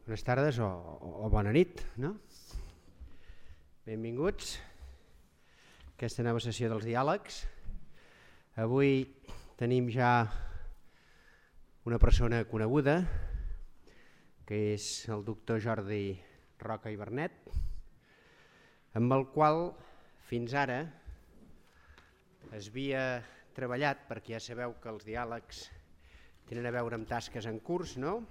Bones tardes o bona nit, no? Benvinguts a aquesta nova sessió dels diàlegs. Avui tenim ja una persona coneguda, que és el doctor Jordi Roca i Bernet, amb el qual fins ara es havia treballat, perquè ja sabeu que els diàlegs tenen a veure amb tasques en curs, no?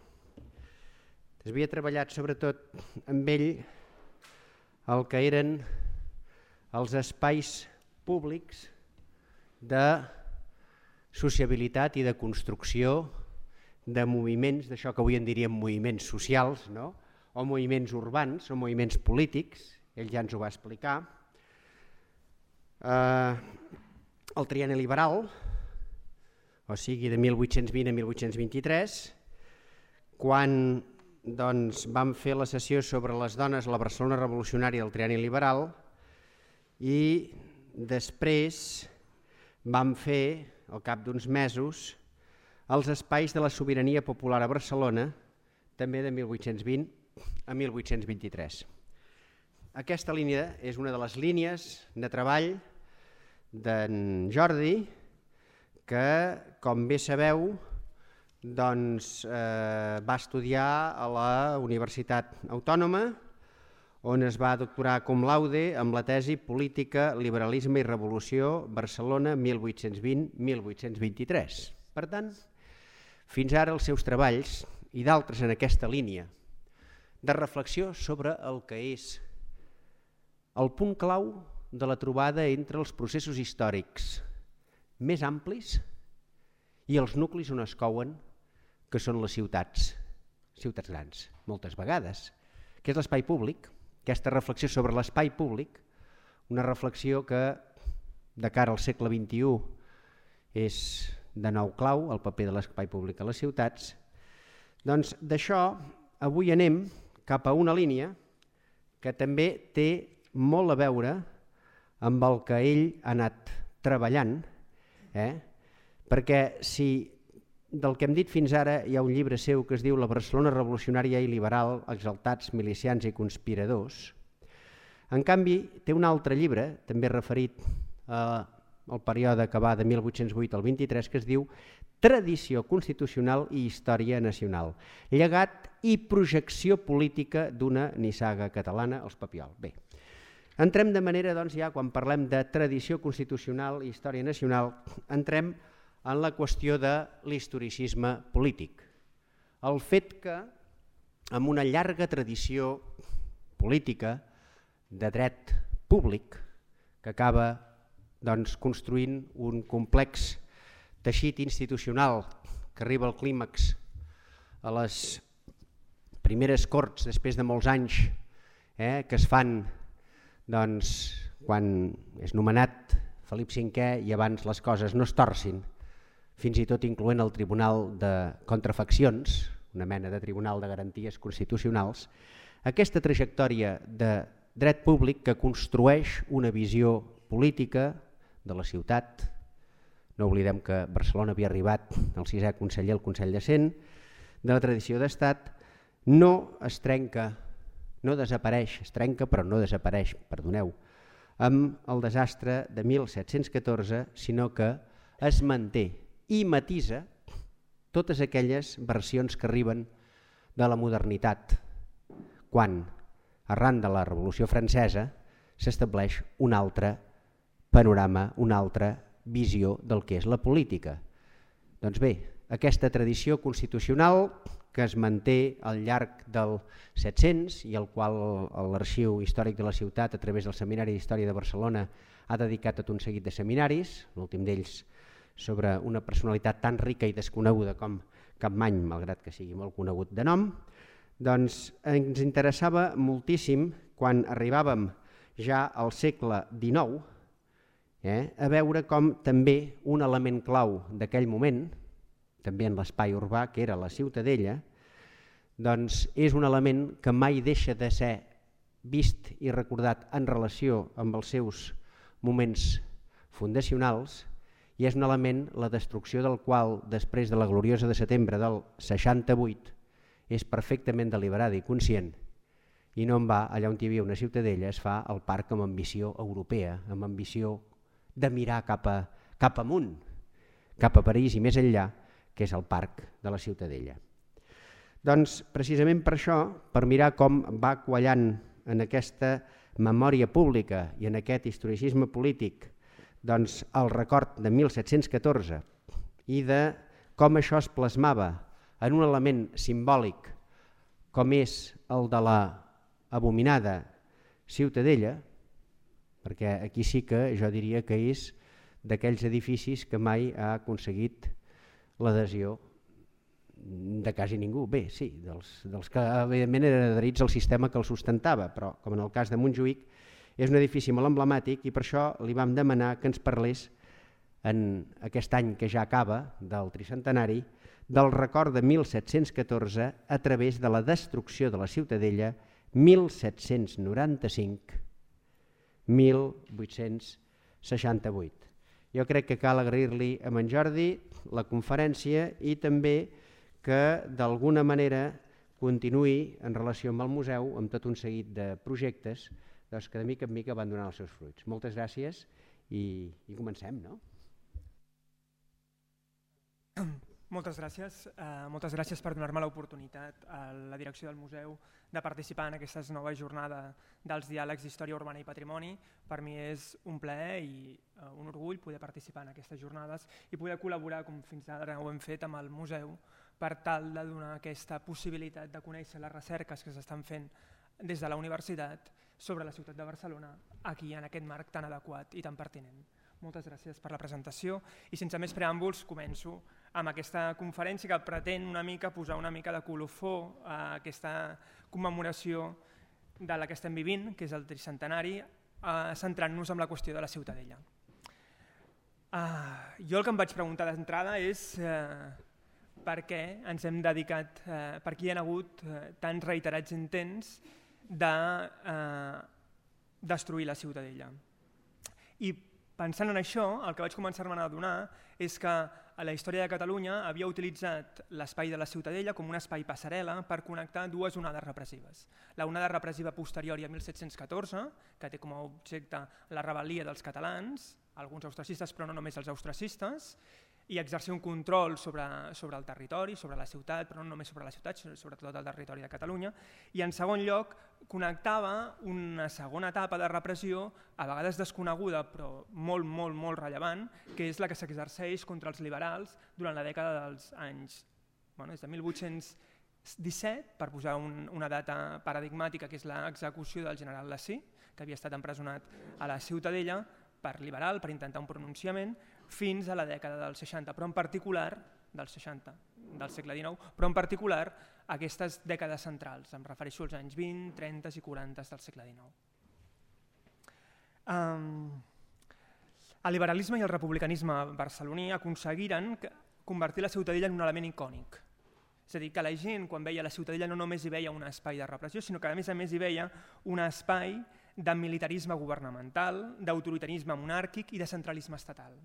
Es havia treballat sobretot amb ell el que eren els espais públics de sociabilitat i de construcció de moviments, d'això que avui en diríem moviments socials, no? O moviments urbans o moviments polítics, ell ja ens ho va explicar. El trienni liberal, o sigui de 1820 a 1823, quan vam fer la sessió sobre les dones a la Barcelona revolucionària del trienni liberal i després vam fer, al cap d'uns mesos, els espais de la sobirania popular a Barcelona, també de 1820 a 1823. Aquesta línia és una de les línies de treball d'en Jordi, que, com bé sabeu, va estudiar a la Universitat Autònoma, on es va doctorar cum laude amb la tesi Política, Liberalisme i Revolució, Barcelona, 1820-1823. Per tant, fins ara els seus treballs, i d'altres en aquesta línia, de reflexió sobre el que és el punt clau de la trobada entre els processos històrics més amplis i els nuclis on es couen, que són les ciutats grans, moltes vegades, que és l'espai públic, aquesta reflexió sobre l'espai públic, una reflexió que de cara al segle XXI és de nou clau, el paper de l'espai públic a les ciutats. Doncs d'això avui anem cap a una línia que també té molt a veure amb el que ell ha anat treballant, perquè si del que hem dit fins ara hi ha un llibre seu que es diu La Barcelona revolucionària i liberal, exaltats, milicians i conspiradors. En canvi, té un altre llibre, també referit al període que va de 1808 al 23, que es diu Tradició constitucional i història nacional, llegat i projecció política d'una nissaga catalana, els Papiol. Bé, entrem de manera, doncs, ja quan parlem de tradició constitucional i història nacional, entrem en la qüestió de l'historicisme polític. El fet que, amb una llarga tradició política de dret públic, que acaba construint un complex teixit institucional que arriba al clímax a les primeres corts, després de molts anys, que es fan quan és nomenat Felip V i abans les coses no es torcin, fins i tot incloent el Tribunal de Contrafaccions, una mena de Tribunal de Garanties Constitucionals, aquesta trajectòria de dret públic que construeix una visió política de la ciutat. No oblidem que Barcelona havia arribat el 6è conseller al Consell de Cent, de la tradició d'estat, no es trenca, no desapareix, es trenca però no desapareix, perdoneu, amb el desastre de 1714, sinó que es manté i matisa totes aquelles versions que arriben de la modernitat, quan, arran de la Revolució Francesa, s'estableix un altre panorama, una altra visió del que és la política. Doncs bé, aquesta tradició constitucional que es manté al llarg del 700 i al qual l'Arxiu Històric de la Ciutat, a través del Seminari d'Història de Barcelona, ha dedicat tot un seguit de seminaris, l'últim d'ells sobre una personalitat tan rica i desconeguda com Capmany, malgrat que sigui molt conegut de nom, doncs ens interessava moltíssim, quan arribàvem ja al segle XIX, a veure com també un element clau d'aquell moment, també en l'espai urbà, que era la Ciutadella, doncs és un element que mai deixa de ser vist i recordat en relació amb els seus moments fundacionals, i és un element la destrucció del qual, després de la gloriosa de setembre del 68, és perfectament deliberada i conscient i no en va allà on hi havia una ciutadella es fa el parc amb ambició europea, amb ambició de mirar cap amunt, cap a París i més enllà, que és el parc de la ciutadella. Doncs precisament per això, per mirar com va quallant en aquesta memòria pública i en aquest historicisme polític doncs, el record de 1714 i de com això es plasmava en un element simbòlic com és el de la abominada Ciutadella, perquè aquí sí que jo diria que és d'aquells edificis que mai ha aconseguit l'adhesió de quasi ningú. Bé, sí, dels que evidentment eren adherits al sistema que el sustentava, però com en el cas de Montjuïc és un edifici molt emblemàtic i per això li vam demanar que ens parlés en aquest any que ja acaba del tricentenari del record de 1714 a través de la destrucció de la Ciutadella 1795-1868. Jo crec que cal agrair-li a en Jordi la conferència i també que d'alguna manera continuï en relació amb el museu amb tot un seguit de projectes doncs, que de mica en mica van donant els seus fruits. Moltes gràcies i comencem, no? Moltes gràcies per donar-me l'oportunitat a la direcció del museu de participar en aquesta nova jornada dels diàlegs d'història urbana i patrimoni. Per mi és un plaer i un orgull poder participar en aquestes jornades i poder col·laborar, com fins ara ho hem fet, amb el museu per tal de donar aquesta possibilitat de conèixer les recerques que s'estan fent des de la universitat sobre la ciutat de Barcelona aquí en aquest marc tan adequat i tan pertinent. Moltes gràcies per la presentació i sense més preàmbuls començo amb aquesta conferència que pretén una mica posar una mica de colofó a aquesta commemoració de la que estem vivint, que és el tricentenari, centrant-nos en la qüestió de la Ciutadella. Jo el que em vaig preguntar d'entrada és per què ens hem dedicat, per què hi ha hagut tants reiterats intents de destruir la Ciutadella. I pensant en això, el que vaig començar-me a adonar és que la història de Catalunya havia utilitzat l'espai de la Ciutadella com un espai passarel·la per connectar dues onades repressives. La onada repressiva posterior a 1714, que té com a objecte la rebel·lia dels catalans, alguns austracistes però no només els austracistes, i exercir un control sobre el territori, sobre la ciutat, però no només sobre la ciutat, sinó sobre tot el territori de Catalunya. I en segon lloc, connectava una segona etapa de repressió, a vegades desconeguda però molt, molt, molt rellevant, que és la que s'exerceix contra els liberals durant la dècada dels anys, des de 1817, per posar una data paradigmàtica, que és l'execució del general Lacy, que havia estat empresonat a la Ciutadella per liberal, per intentar un pronunciament, fins a la dècada dels 60, però en particular dels 60 del segle XIX, però en particular aquestes dècades centrals, em refereixo als anys 20, 30 i 40 del segle XIX. El liberalisme i el republicanisme barceloní aconseguiren convertir la Ciutadella en un element icònic. És a dir, que la gent quan veia la Ciutadella no només hi veia un espai de repressió, sinó que a més hi veia un espai de militarisme governamental, d'autoritarisme monàrquic i de centralisme estatal.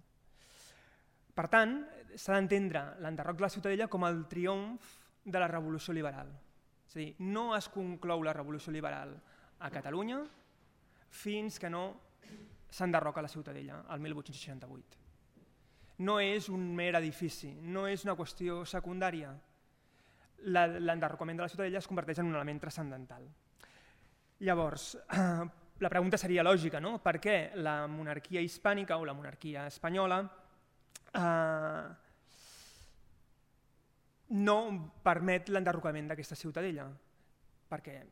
Per tant, s'ha d'entendre l'enderroc de la Ciutadella com el triomf de la revolució liberal. És a dir, no es conclou la revolució liberal a Catalunya fins que no s'enderroca la Ciutadella, el 1868. No és un mer edifici, no és una qüestió secundària. L'enderrocament de la Ciutadella es converteix en un element transcendental. Llavors, la pregunta seria lògica, no? Per què la monarquia hispànica o la monarquia espanyola no permet l'enderrocament d'aquesta Ciutadella? Perquè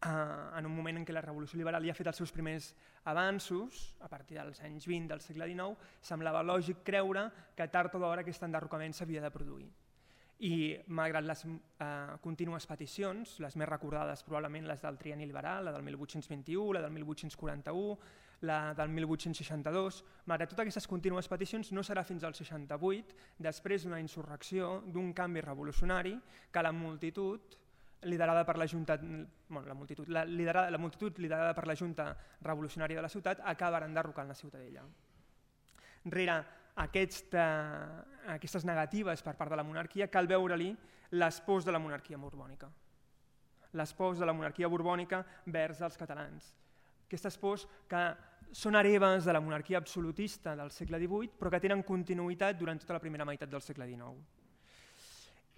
en un moment en què la revolució liberal ja ha fet els seus primers avanços, a partir dels anys 20 del segle XIX, semblava lògic creure que tard o d'hora aquest enderrocament s'havia de produir. I malgrat les contínues peticions, les més recordades probablement les del trienni liberal, la del 1821, la del 1841, la del 1862, malgrat totes aquestes contínues peticions no serà fins al 68, després d'una insurrecció, d'un canvi revolucionari, que la multitud liderada per la Junta, la multitud liderada per la Junta Revolucionària de la ciutat acabarà enderrocant la Ciutadella. Rere aquestes negatives per part de la monarquia, cal veure-li les pors de la monarquia borbònica. Les pors de la monarquia borbònica vers els catalans. Aquestes pors que són hereves de la monarquia absolutista del segle XVIII, però que tenen continuïtat durant tota la primera meitat del segle XIX.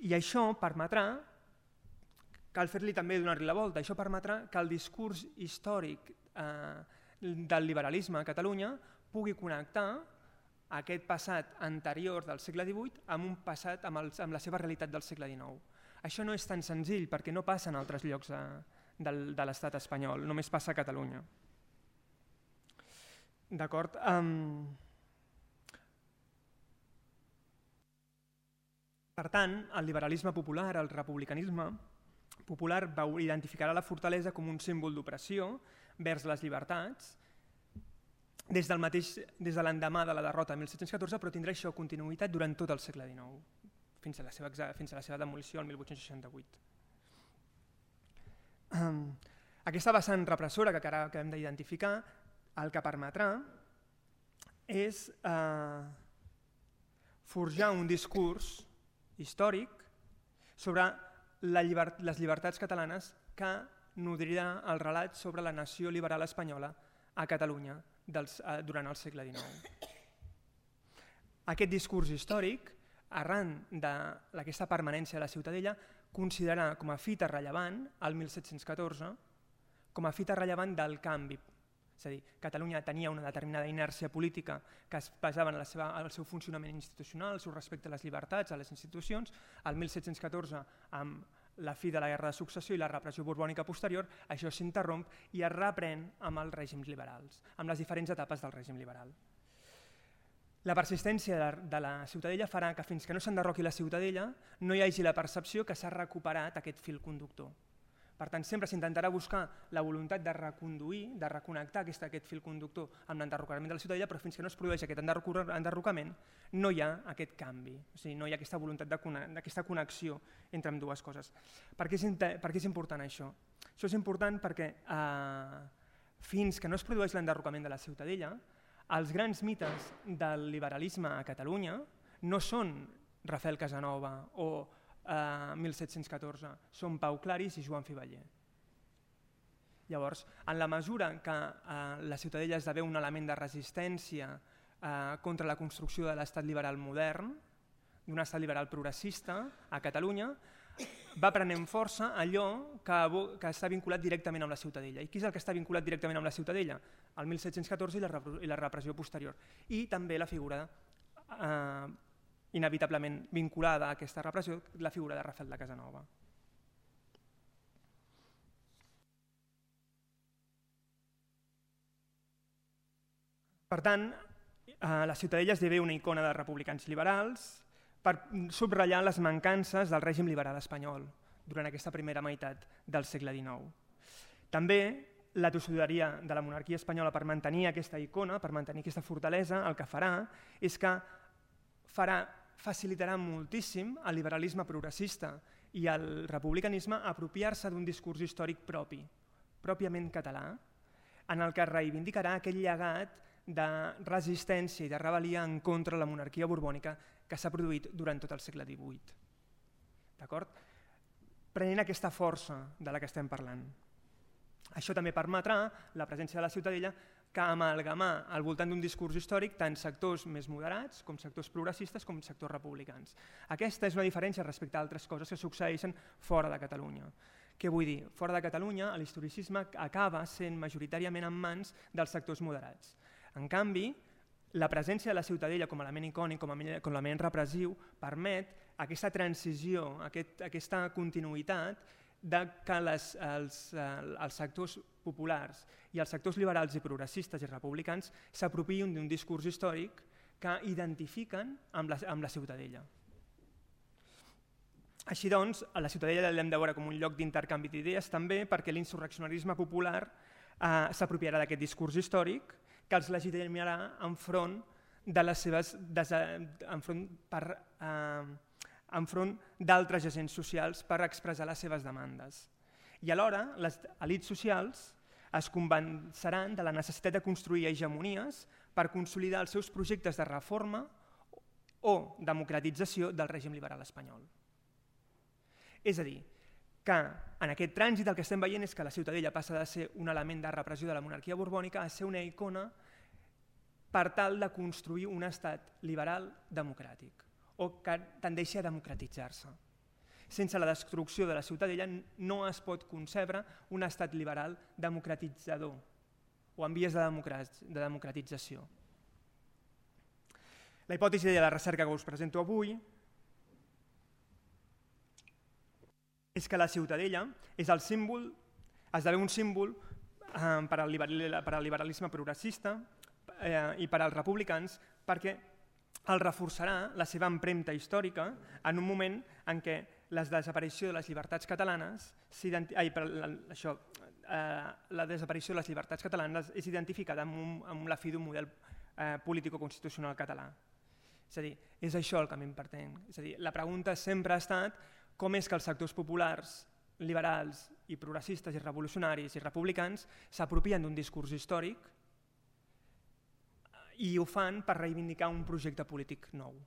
I això permetrà, cal fer-li també donar-li la volta, això permetrà que el discurs històric del liberalisme a Catalunya pugui connectar aquest passat anterior del segle XVIII amb un passat amb la seva realitat del segle XIX. Això no és tan senzill perquè no passa en altres llocs de l'estat espanyol, només passa a Catalunya. D'acord? Per tant, el liberalisme popular, el republicanisme popular identificarà la fortalesa com un símbol d'opressió vers les llibertats des de l'endemà de la derrota de 1714, però tindrà això continuïtat durant tot el segle XIX, fins a la seva demolició el 1868. Aquesta vessant repressora que hem d'identificar, el que permetrà és forjar un discurs històric sobre les llibertats catalanes que nodrirà el relat sobre la nació liberal espanyola a Catalunya durant el segle XIX. Aquest discurs històric, arran d'aquesta permanència de la Ciutadella, considerarà com a fita rellevant el 1714 com a fita rellevant del canvi. És a dir, Catalunya tenia una determinada inèrcia política que es basava en el seu funcionament institucional, el seu respecte a les llibertats, a les institucions. El 1714, amb la fi de la Guerra de Successió i la repressió borbònica posterior, això s'interromp i es reprèn amb els règims liberals, amb les diferents etapes del règim liberal. La persistència de la Ciutadella farà que fins que no s'enderroqui la Ciutadella no hi hagi la percepció que s'ha recuperat aquest fil conductor. Per tant, sempre s'intentarà buscar la voluntat de reconduir, de reconnectar aquest fil conductor amb l'enderrocament de la Ciutadella, però fins que no es produeix aquest enderrocament no hi ha aquest canvi, o sigui, no hi ha aquesta voluntat d'aquesta connexió entre ambdues coses. Per què és important això? Això és important perquè fins que no es produeix l'enderrocament de la Ciutadella, els grans mites del liberalisme a Catalunya no són Rafael Casanova o 1714, són Pau Claris i Joan Fiveller. Llavors, en la mesura que la Ciutadella esdevé un element de resistència contra la construcció de l'estat liberal modern, d'un estat liberal progressista a Catalunya, va prenent força allò que està vinculat directament amb la Ciutadella. I qui és el que està vinculat directament amb la Ciutadella? El 1714 i la repressió posterior. I també la figura inevitablement vinculada a aquesta repressió, la figura de Rafael de Casanova. Per tant, la Ciutadella esdevé una icona de republicans liberals per subratllar les mancances del règim liberal espanyol durant aquesta primera meitat del segle XIX. També la tossuderia de la monarquia espanyola per mantenir aquesta icona, per mantenir aquesta fortalesa, el que farà és que facilitarà moltíssim al liberalisme progressista i al republicanisme apropiar-se d'un discurs històric pròpiament català, en el que reivindicarà aquell llegat de resistència i de rebel·lia en contra de la monarquia borbònica que s'ha produït durant tot el segle XVIII. D'acord? Prenent aquesta força de la que estem parlant. Això també permetrà la presència de la Ciutadella que amalgamar al voltant d'un discurs històric tant sectors més moderats com sectors progressistes com sectors republicans. Aquesta és una diferència respecte a altres coses que succeeixen fora de Catalunya. Què vull dir? Fora de Catalunya l'historicisme acaba sent majoritàriament en mans dels sectors moderats. En canvi, la presència de la Ciutadella com a element icònic, com a element repressiu, permet aquesta transició, aquesta continuïtat de que els sectors populars i els sectors liberals i progressistes i republicans s'apropiïn d'un discurs històric que identifiquen amb la Ciutadella. Així doncs, a la Ciutadella l'hem de veure com un lloc d'intercanvi d'idees també perquè l'insurreccionarisme popular s'apropiarà d'aquest discurs històric que els legitimarà enfront d'altres agents socials per expressar les seves demandes. I alhora, les elits socials es convenceran de la necessitat de construir hegemonies per consolidar els seus projectes de reforma o democratització del règim liberal espanyol. És a dir, que en aquest trànsit el que estem veient és que la Ciutadella passa de ser un element de repressió de la monarquia borbònica a ser una icona per tal de construir un estat liberal democràtic o que tendeixi a democratitzar-se. Sense la destrucció de la Ciutadella no es pot concebre un estat liberal democratitzador o en vies de democratització. La hipòtesi de la recerca que us presento avui és que la Ciutadella és el símbol, esdevé un símbol per al liberalisme progressista i per als republicans perquè el reforçarà la seva empremta històrica en un moment en què la desaparició de les llibertats catalanes és identificada amb la fi d'un model político-constitucional català. És a dir, és això el que m'important. És a dir, la pregunta sempre ha estat com és que els sectors populars, liberals i progressistes i revolucionaris i republicans s'apropien d'un discurs històric i ho fan per reivindicar un projecte polític nou. O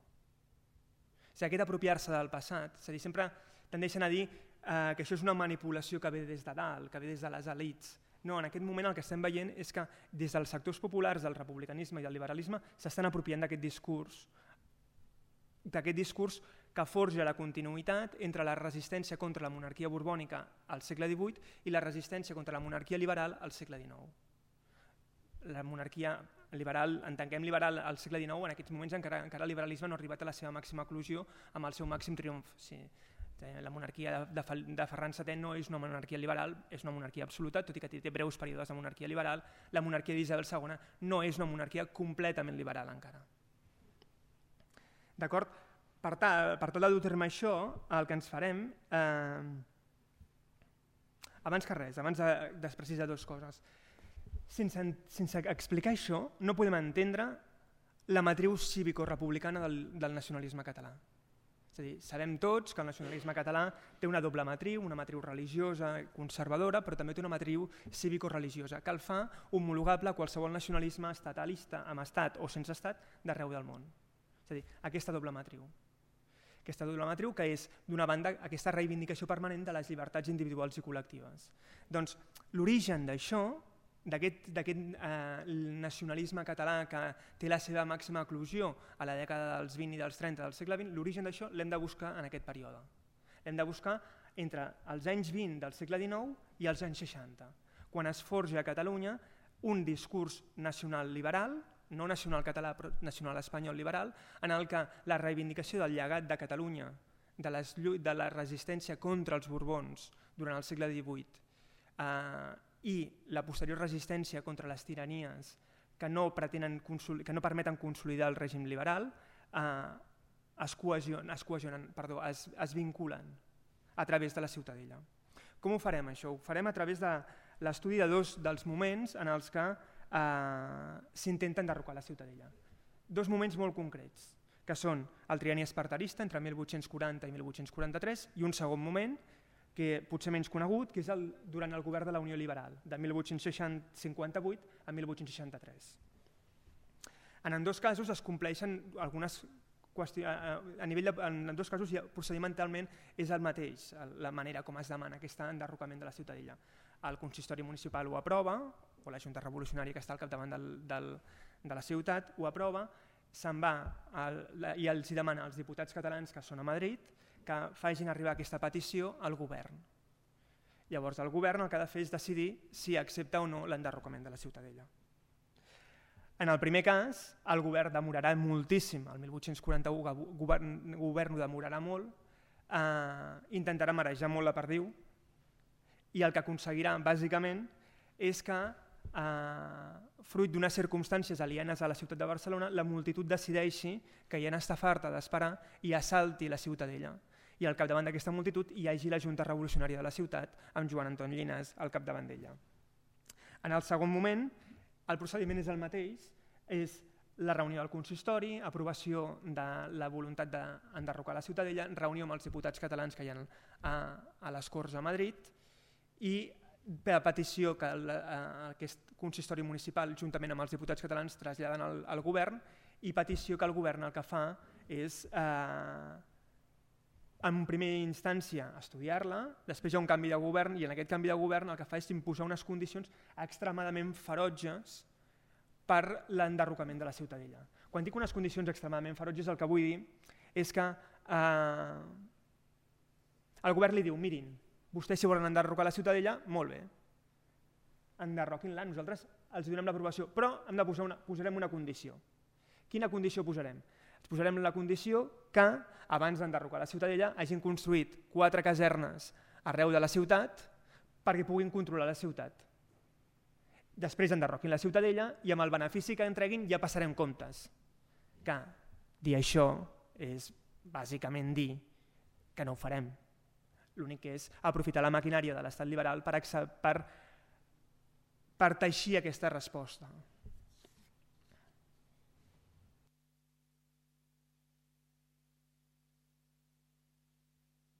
sigui, aquest apropiar-se del passat, és a dir, sempre tendeixen a dir que això és una manipulació que ve des de dalt, que ve des de les elits. No, en aquest moment el que estem veient és que des dels sectors populars del republicanisme i del liberalisme s'estan apropiant d'aquest discurs que forja la continuïtat entre la resistència contra la monarquia borbònica al segle XVIII i la resistència contra la monarquia liberal al segle XIX. La monarquia liberal, entenguem liberal al segle XIX, en aquests moments encara el liberalisme no ha arribat a la seva màxima eclosió amb el seu màxim triomf. Sí. La monarquia de Ferran VII no és una monarquia liberal, és una monarquia absoluta, tot i que té breus períodes de monarquia liberal. La monarquia d'Isabel II no és una monarquia completament liberal encara. D'acord? Per tal de dur-me això, el que ens farem, abans de precisar dues coses. Sense explicar això, no podem entendre la matriu cívico-republicana del nacionalisme català. És a dir, sabem tots que el nacionalisme català té una doble matriu, una matriu religiosa i conservadora, però també té una matriu cívico-religiosa, que el fa homologable a qualsevol nacionalisme estatalista, amb estat o sense estat, d'arreu del món. És a dir, aquesta doble matriu. Aquesta doble matriu que és, d'una banda, aquesta reivindicació permanent de les llibertats individuals i col·lectives. Doncs l'origen d'això, d'aquest nacionalisme català que té la seva màxima eclosió a la dècada dels 20 i dels 30 del segle XX, l'origen d'això l'hem de buscar en aquest període. L'hem de buscar entre els anys 20 del segle XIX i els anys 60, quan es forja a Catalunya un discurs nacional liberal, no nacional català però nacional espanyol liberal, en el que la reivindicació del llegat de Catalunya, de la resistència contra els Borbons durant el segle XVIII i la posterior resistència contra les tiranies que no permeten consolidar el règim liberal es vinculen a través de la Ciutadella. Com ho farem això? Ho farem a través de l'estudi de dos dels moments en els que s'intenta enderrocar la Ciutadella. Dos moments molt concrets, que són el trienni esparterista entre 1840 i 1843 i un segon moment que potser menys conegut, que és durant el govern de la Unió Liberal, de 1858 a 1863. En ambdós casos es compleixen algunes qüestions, en ambdós casos procedimentalment és el mateix, la manera com es demana aquest enderrocament de la Ciutadella. El consistori municipal ho aprova, o la Junta Revolucionària que està al capdavant de la ciutat ho aprova, se'n va i els demana als diputats catalans que són a Madrid que facin arribar aquesta petició al govern. Llavors el govern el que ha de fer és decidir si accepta o no l'enderrocament de la Ciutadella. En el primer cas, el govern demorarà moltíssim, el 1841 el govern ho demorarà molt, intentarà marejar molt la perdiu i el que aconseguirà bàsicament és que, fruit d'unes circumstàncies alienes a la ciutat de Barcelona, la multitud decideixi que ja n'està farta d'esperar i assalti la Ciutadella. I al capdavant d'aquesta multitud hi hagi la Junta Revolucionària de la ciutat amb Joan Antoni Llinàs al capdavant d'ella. En el segon moment, el procediment és el mateix, és la reunió del consistori, aprovació de la voluntat d'enderrocar la Ciutadella, reunió amb els diputats catalans que hi ha a les Corts a Madrid i per petició que aquest consistori municipal, juntament amb els diputats catalans, traslladen al govern i petició que el govern el que fa és en primera instància estudiar-la, després hi ha un canvi de govern i en aquest canvi de govern el que fa és imposar unes condicions extremadament ferotges per l'enderrocament de la Ciutadella. Quan dic unes condicions extremadament ferotges el que vull dir és que el govern li diu mirin, vostès si volen enderrocar la Ciutadella, molt bé, enderroquin-la, nosaltres els donem l'aprovació, però hem de posarem una condició. Quina condició posarem? Posarem la condició que abans d'enderrocar la Ciutadella hagin construït 4 casernes arreu de la ciutat perquè puguin controlar la ciutat. Després enderroquin la Ciutadella i amb el benefici que entreguin ja passarem comptes. Que dir això és bàsicament dir que no ho farem. L'únic que és aprofitar la maquinària de l'estat liberal per teixir aquesta resposta.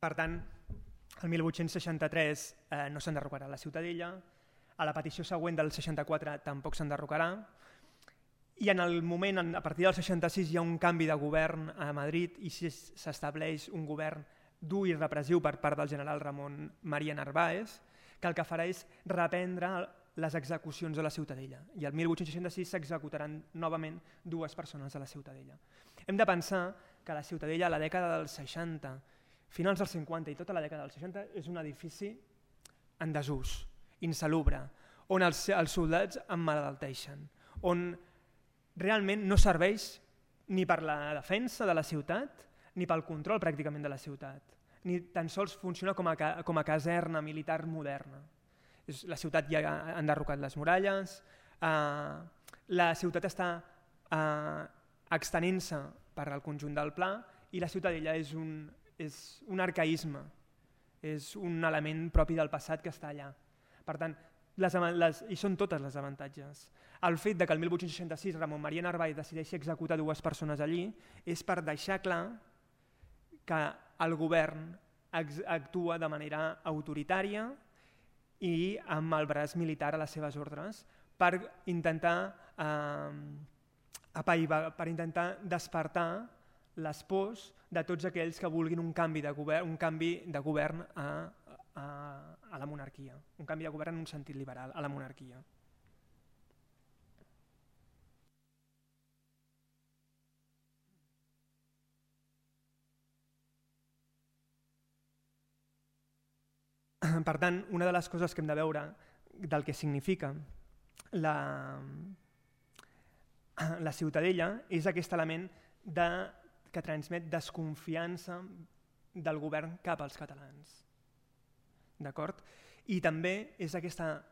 Per tant, el 1863 no s'enderrocarà la Ciutadella, a la petició següent del 64 tampoc s'enderrocarà, i en el moment, a partir del 66, hi ha un canvi de govern a Madrid i s'estableix un govern dur i repressiu per part del general Ramon María Narváez, que el que farà és reprendre les execucions a la Ciutadella. I el 1866 s'executaran novament 2 persones a la Ciutadella. Hem de pensar que la Ciutadella a la dècada dels 60, finals dels 50 i tota la dècada dels 60 és un edifici en desús, insalubre, on els soldats emmalalteixen, on realment no serveix ni per la defensa de la ciutat ni pel control pràcticament de la ciutat, ni tan sols funciona com a caserna militar moderna. La ciutat ja ha enderrocat les muralles, la ciutat està extenent-se per al conjunt del pla i la Ciutadella és un arcaïsme, és un element propi del passat que està allà. Per tant, i són totes les avantatges. El fet que el 1866 Ramon María Narváez decideixi executar 2 persones allí és per deixar clar que el govern actua de manera autoritària i amb el braç militar a les seves ordres per intentar despertar les pors de tots aquells que vulguin un canvi de govern a la monarquia, un canvi de govern en un sentit liberal a la monarquia. Per tant, una de les coses que hem de veure del que significa la Ciutadella és aquest element que transmet desconfiança del govern cap als catalans. D'acord? I també és aquesta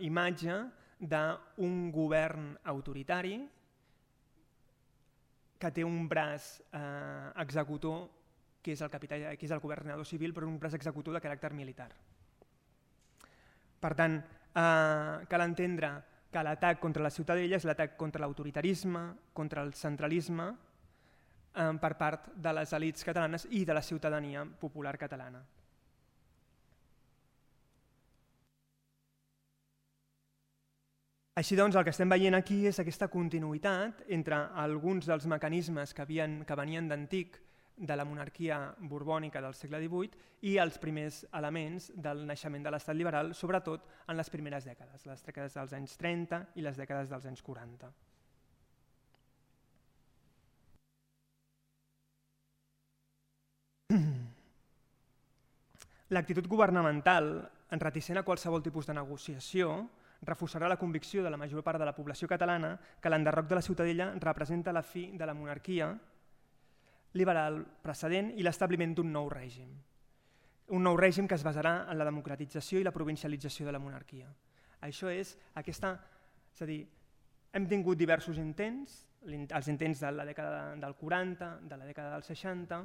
imatge d'un govern autoritari que té un braç executor, que és el governador civil, però un braç executor de caràcter militar. Per tant, cal entendre que l'atac contra la Ciutadella és l'atac contra l'autoritarisme, contra el centralisme per part de les elits catalanes i de la ciutadania popular catalana. Així doncs, el que estem veient aquí és aquesta continuïtat entre alguns dels mecanismes que venien d'antic de la monarquia borbònica del segle XVIII i els primers elements del naixement de l'estat liberal, sobretot en les primeres dècades, les dècades dels anys 30 i les dècades dels anys 40. L'actitud governamental, reticent a qualsevol tipus de negociació, reforçarà la convicció de la major part de la població catalana que l'enderroc de la Ciutadella representa la fi de la monarquia liberal precedent i l'establiment d'un nou règim. Un nou règim que es basarà en la democratització i la provincialització de la monarquia. Això és aquesta... És a dir, hem tingut diversos intents, els intents de la dècada del 40, de la dècada dels 60,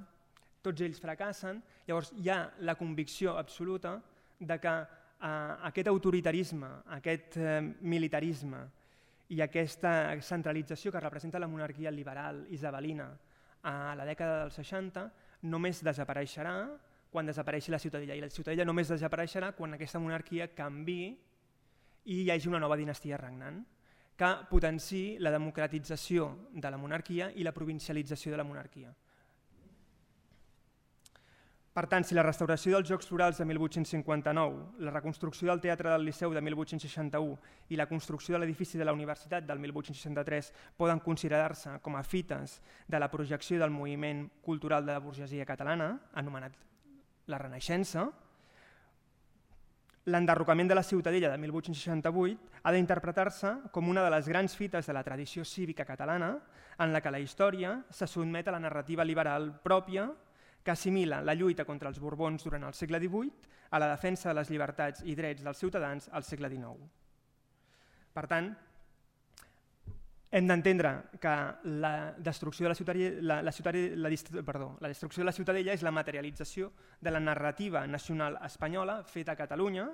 tots ells fracassen, llavors hi ha la convicció absoluta de que aquest autoritarisme, aquest militarisme i aquesta centralització que representa la monarquia liberal isabelina a la dècada dels 60 només desapareixerà quan desapareixi la Ciutadella, i la Ciutadella només desapareixerà quan aquesta monarquia canviï i hi hagi una nova dinastia regnant que potenciï la democratització de la monarquia i la provincialització de la monarquia. Per tant, si la restauració dels Jocs Florals de 1859, la reconstrucció del Teatre del Liceu de 1861 i la construcció de l'edifici de la Universitat del 1863 poden considerar-se com a fites de la projecció del moviment cultural de la burgesia catalana, anomenat la Renaixença, l'enderrocament de la Ciutadella de 1868 ha d'interpretar-se com una de les grans fites de la tradició cívica catalana en la que la història se sotmet a la narrativa liberal pròpia que assimila la lluita contra els Borbons durant el segle XVIII a la defensa de les llibertats i drets dels ciutadans al segle XIX. Per tant, hem d'entendre que la destrucció de la Ciutadella és la materialització de la narrativa nacional espanyola feta a Catalunya,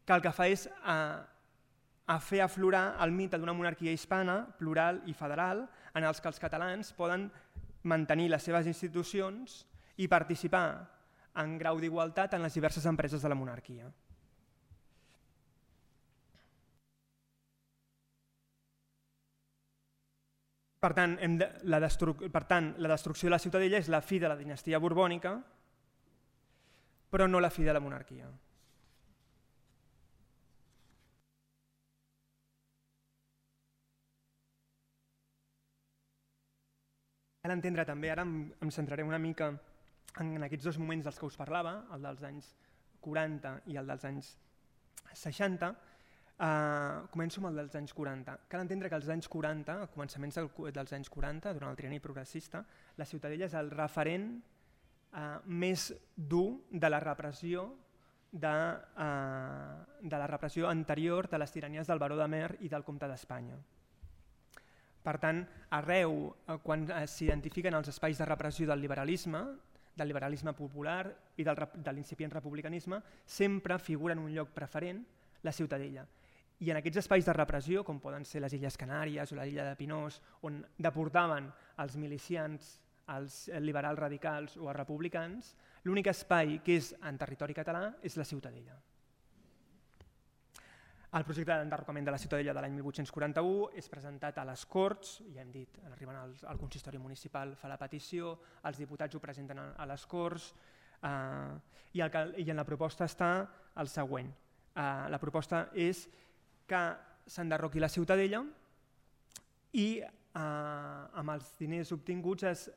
que el que fa és a fer aflorar el mite d'una monarquia hispana, plural i federal, en els que els catalans poden mantenir les seves institucions i participar en grau d'igualtat en les diverses empreses de la monarquia. Per tant, la destrucció de la Ciutadella és la fi de la dinastia borbònica, però no la fi de la monarquia. Cal entendre també, ara em centraré una mica en aquests dos moments dels que us parlava, el dels anys 40 i el dels anys 60. Començo amb el dels anys 40. Cal entendre que als anys 40, a començaments dels anys 40, durant el trienni progressista, la Ciutadella és el referent més dur de la repressió anterior de les tiranies del baró de Mer i del comte d'Espanya. Per tant, arreu, quan s'identifiquen els espais de repressió del liberalisme popular i de l'incipient republicanisme, sempre figura en un lloc preferent la Ciutadella. I en aquests espais de repressió, com poden ser les Illes Canàries o l'illa de Pinós, on deportaven els milicians, els liberals radicals o els republicans, l'únic espai que és en territori català és la Ciutadella. El projecte d'enderrocament de la Ciutadella de l'any 1841 és presentat a les Corts, ja hem dit, arriben al consistori municipal, fa la petició, els diputats ho presenten a les Corts i en la proposta està el següent. La proposta és que s'enderroqui la Ciutadella i amb els diners obtinguts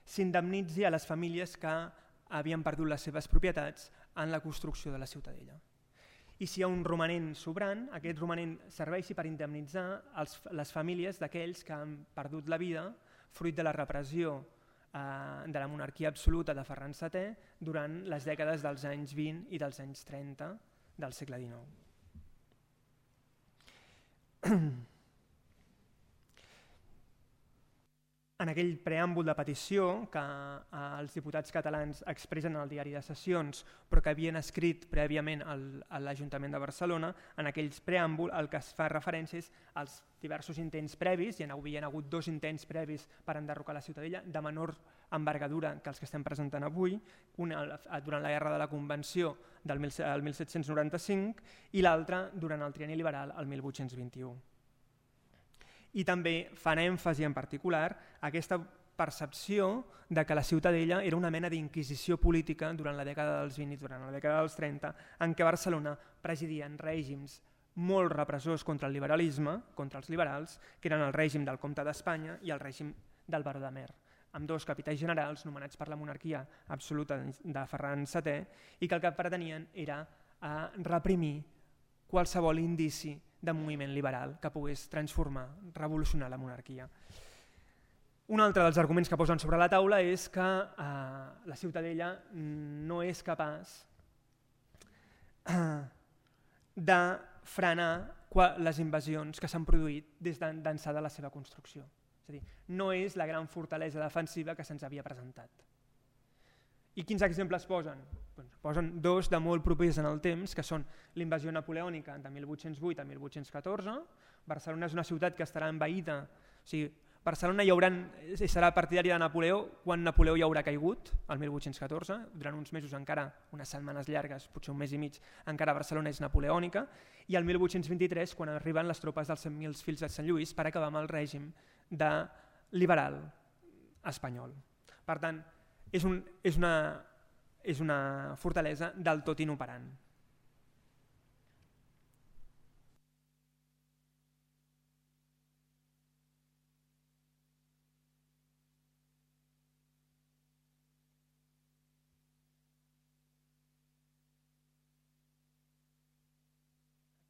s'indemnitzi a les famílies que havien perdut les seves propietats en la construcció de la Ciutadella. I si hi ha un romanent sobrant, aquest romanent serveixi per indemnitzar les famílies d'aquells que han perdut la vida fruit de la repressió de la monarquia absoluta de Ferran VII durant les dècades dels anys 20 i dels anys 30 del segle XIX. En aquell preàmbul de petició que els diputats catalans expressen al diari de sessions però que havien escrit prèviament a l'Ajuntament de Barcelona, en aquells preàmbul el que es fa referència és als diversos intents previs, hi havia hagut 2 intents previs per enderrocar la Ciutadella de menor envergadura que els que estem presentant avui, un durant la Guerra de la Convenció del 1795 i l'altre durant el trienni liberal el 1821. I també fan èmfasi en particular a aquesta percepció de que la Ciutadella era una mena d'inquisició política durant la dècada dels 20 i durant la dècada dels 30, en què Barcelona presidien règims molt repressors contra el liberalisme, contra els liberals, que eren el règim del comte d'Espanya i el règim del baró de Mer, amb 2 capitans generals nomenats per la monarquia absoluta de Ferran VII i que el que pretenien era reprimir qualsevol indici de moviment liberal que pogués transformar, revolucionar la monarquia. Un altre dels arguments que posen sobre la taula és que la Ciutadella no és capaç de frenar les invasions que s'han produït des d'ençà de la seva construcció. És a dir, no és la gran fortalesa defensiva que se'ns havia presentat. I quins exemples posen? Posen 2 de molt propers en el temps, que són l'invasió napoleònica de 1808 a 1814. Barcelona és una ciutat que estarà envaïda, o sigui, Barcelona serà partidari de Napoleó quan Napoleó ja haurà caigut, el 1814, durant uns mesos encara, unes setmanes llargues, potser un mes i mig, encara Barcelona és napoleònica, i el 1823, quan arriben les tropes dels 100.000 fills de Sant Lluís per acabar amb el règim liberal espanyol. Per tant, és una fortalesa del tot inoperant.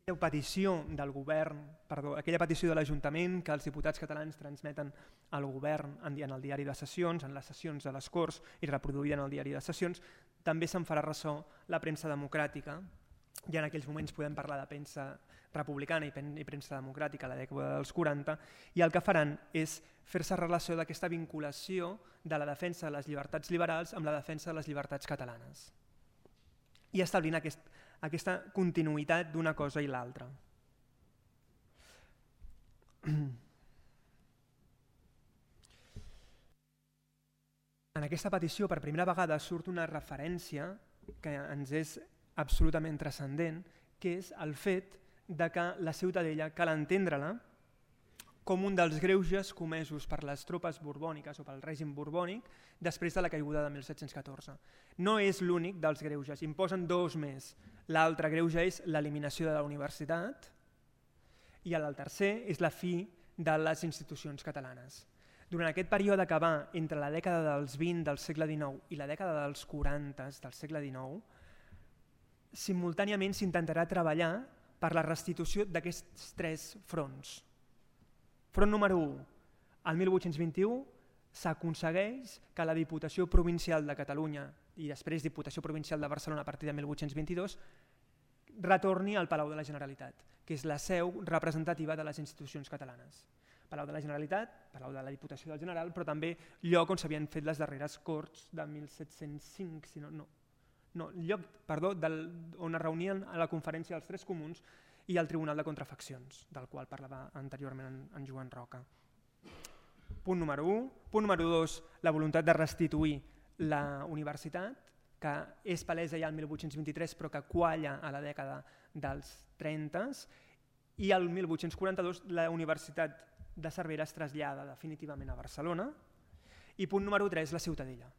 Aquella petició de l'Ajuntament que els diputats catalans transmeten al govern en el diari de sessions, en les sessions de les Corts i reproduïda en el diari de sessions, també se'n farà ressò la premsa democràtica, i en aquells moments podem parlar de premsa republicana i premsa democràtica a la dècada dels 40, i el que faran és fer-se relació d'aquesta vinculació de la defensa de les llibertats liberals amb la defensa de les llibertats catalanes, i establint aquesta continuïtat d'una cosa i l'altra. En aquesta petició per primera vegada surt una referència que ens és absolutament transcendent, que és el fet de que la Ciutadella cal entendre-la com un dels greuges comesos per les tropes borbòniques o pel règim borbònic després de la caiguda de 1714. No és l'únic dels greuges, imposen dos més. L'altre greuge és l'eliminació de la universitat i el tercer és la fi de les institucions catalanes. Durant aquest període que va entre la dècada dels 20 del segle XIX i la dècada dels 40 del segle XIX, simultàniament s'intentarà treballar per la restitució d'aquests tres fronts. Front número 1, al 1821 s'aconsegueix que la Diputació Provincial de Catalunya i després Diputació Provincial de Barcelona a partir de 1822 retorni al Palau de la Generalitat, que és la seu representativa de les institucions catalanes. Palau de la Generalitat, Palau de la Diputació del General, però també lloc on s'havien fet les darreres Corts de 1705, on es reunien a la Conferència dels Tres Comuns i al Tribunal de Contrafaccions, del qual parlava anteriorment en Joan Roca. Punt número 1. Punt número 2, la voluntat de restituir la universitat, que és palesa ja el 1823 però que qualla a la dècada dels 30s, i el 1842 la Universitat de Cervera es trasllada definitivament a Barcelona. I punt número 3, la Ciutadella.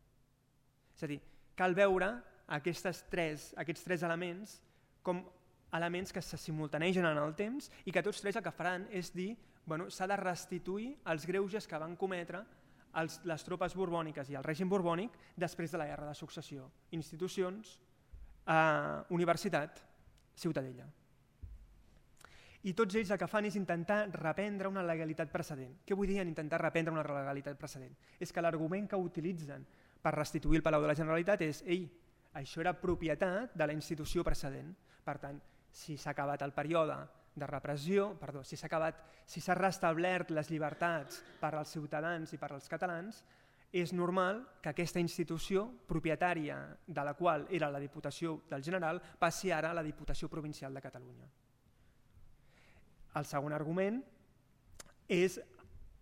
És a dir, cal veure aquests tres elements com elements que se simultanegen en el temps i que tots tres el que faran és dir s'ha de restituir els greuges que van cometre les tropes borbòniques i el règim borbònic després de la Guerra de Successió. Institucions, universitat, Ciutadella. I tots ells el que fan és intentar reprendre una legalitat precedent. Què vull dir en intentar reprendre una legalitat precedent? És que l'argument que utilitzen per restituir el Palau de la Generalitat és això era propietat de la institució precedent. Per tant, si s'ha acabat el període de repressió, si s'ha restablert les llibertats per als ciutadans i per als catalans, és normal que aquesta institució propietària de la qual era la Diputació del General passi ara a la Diputació Provincial de Catalunya. El segon argument és,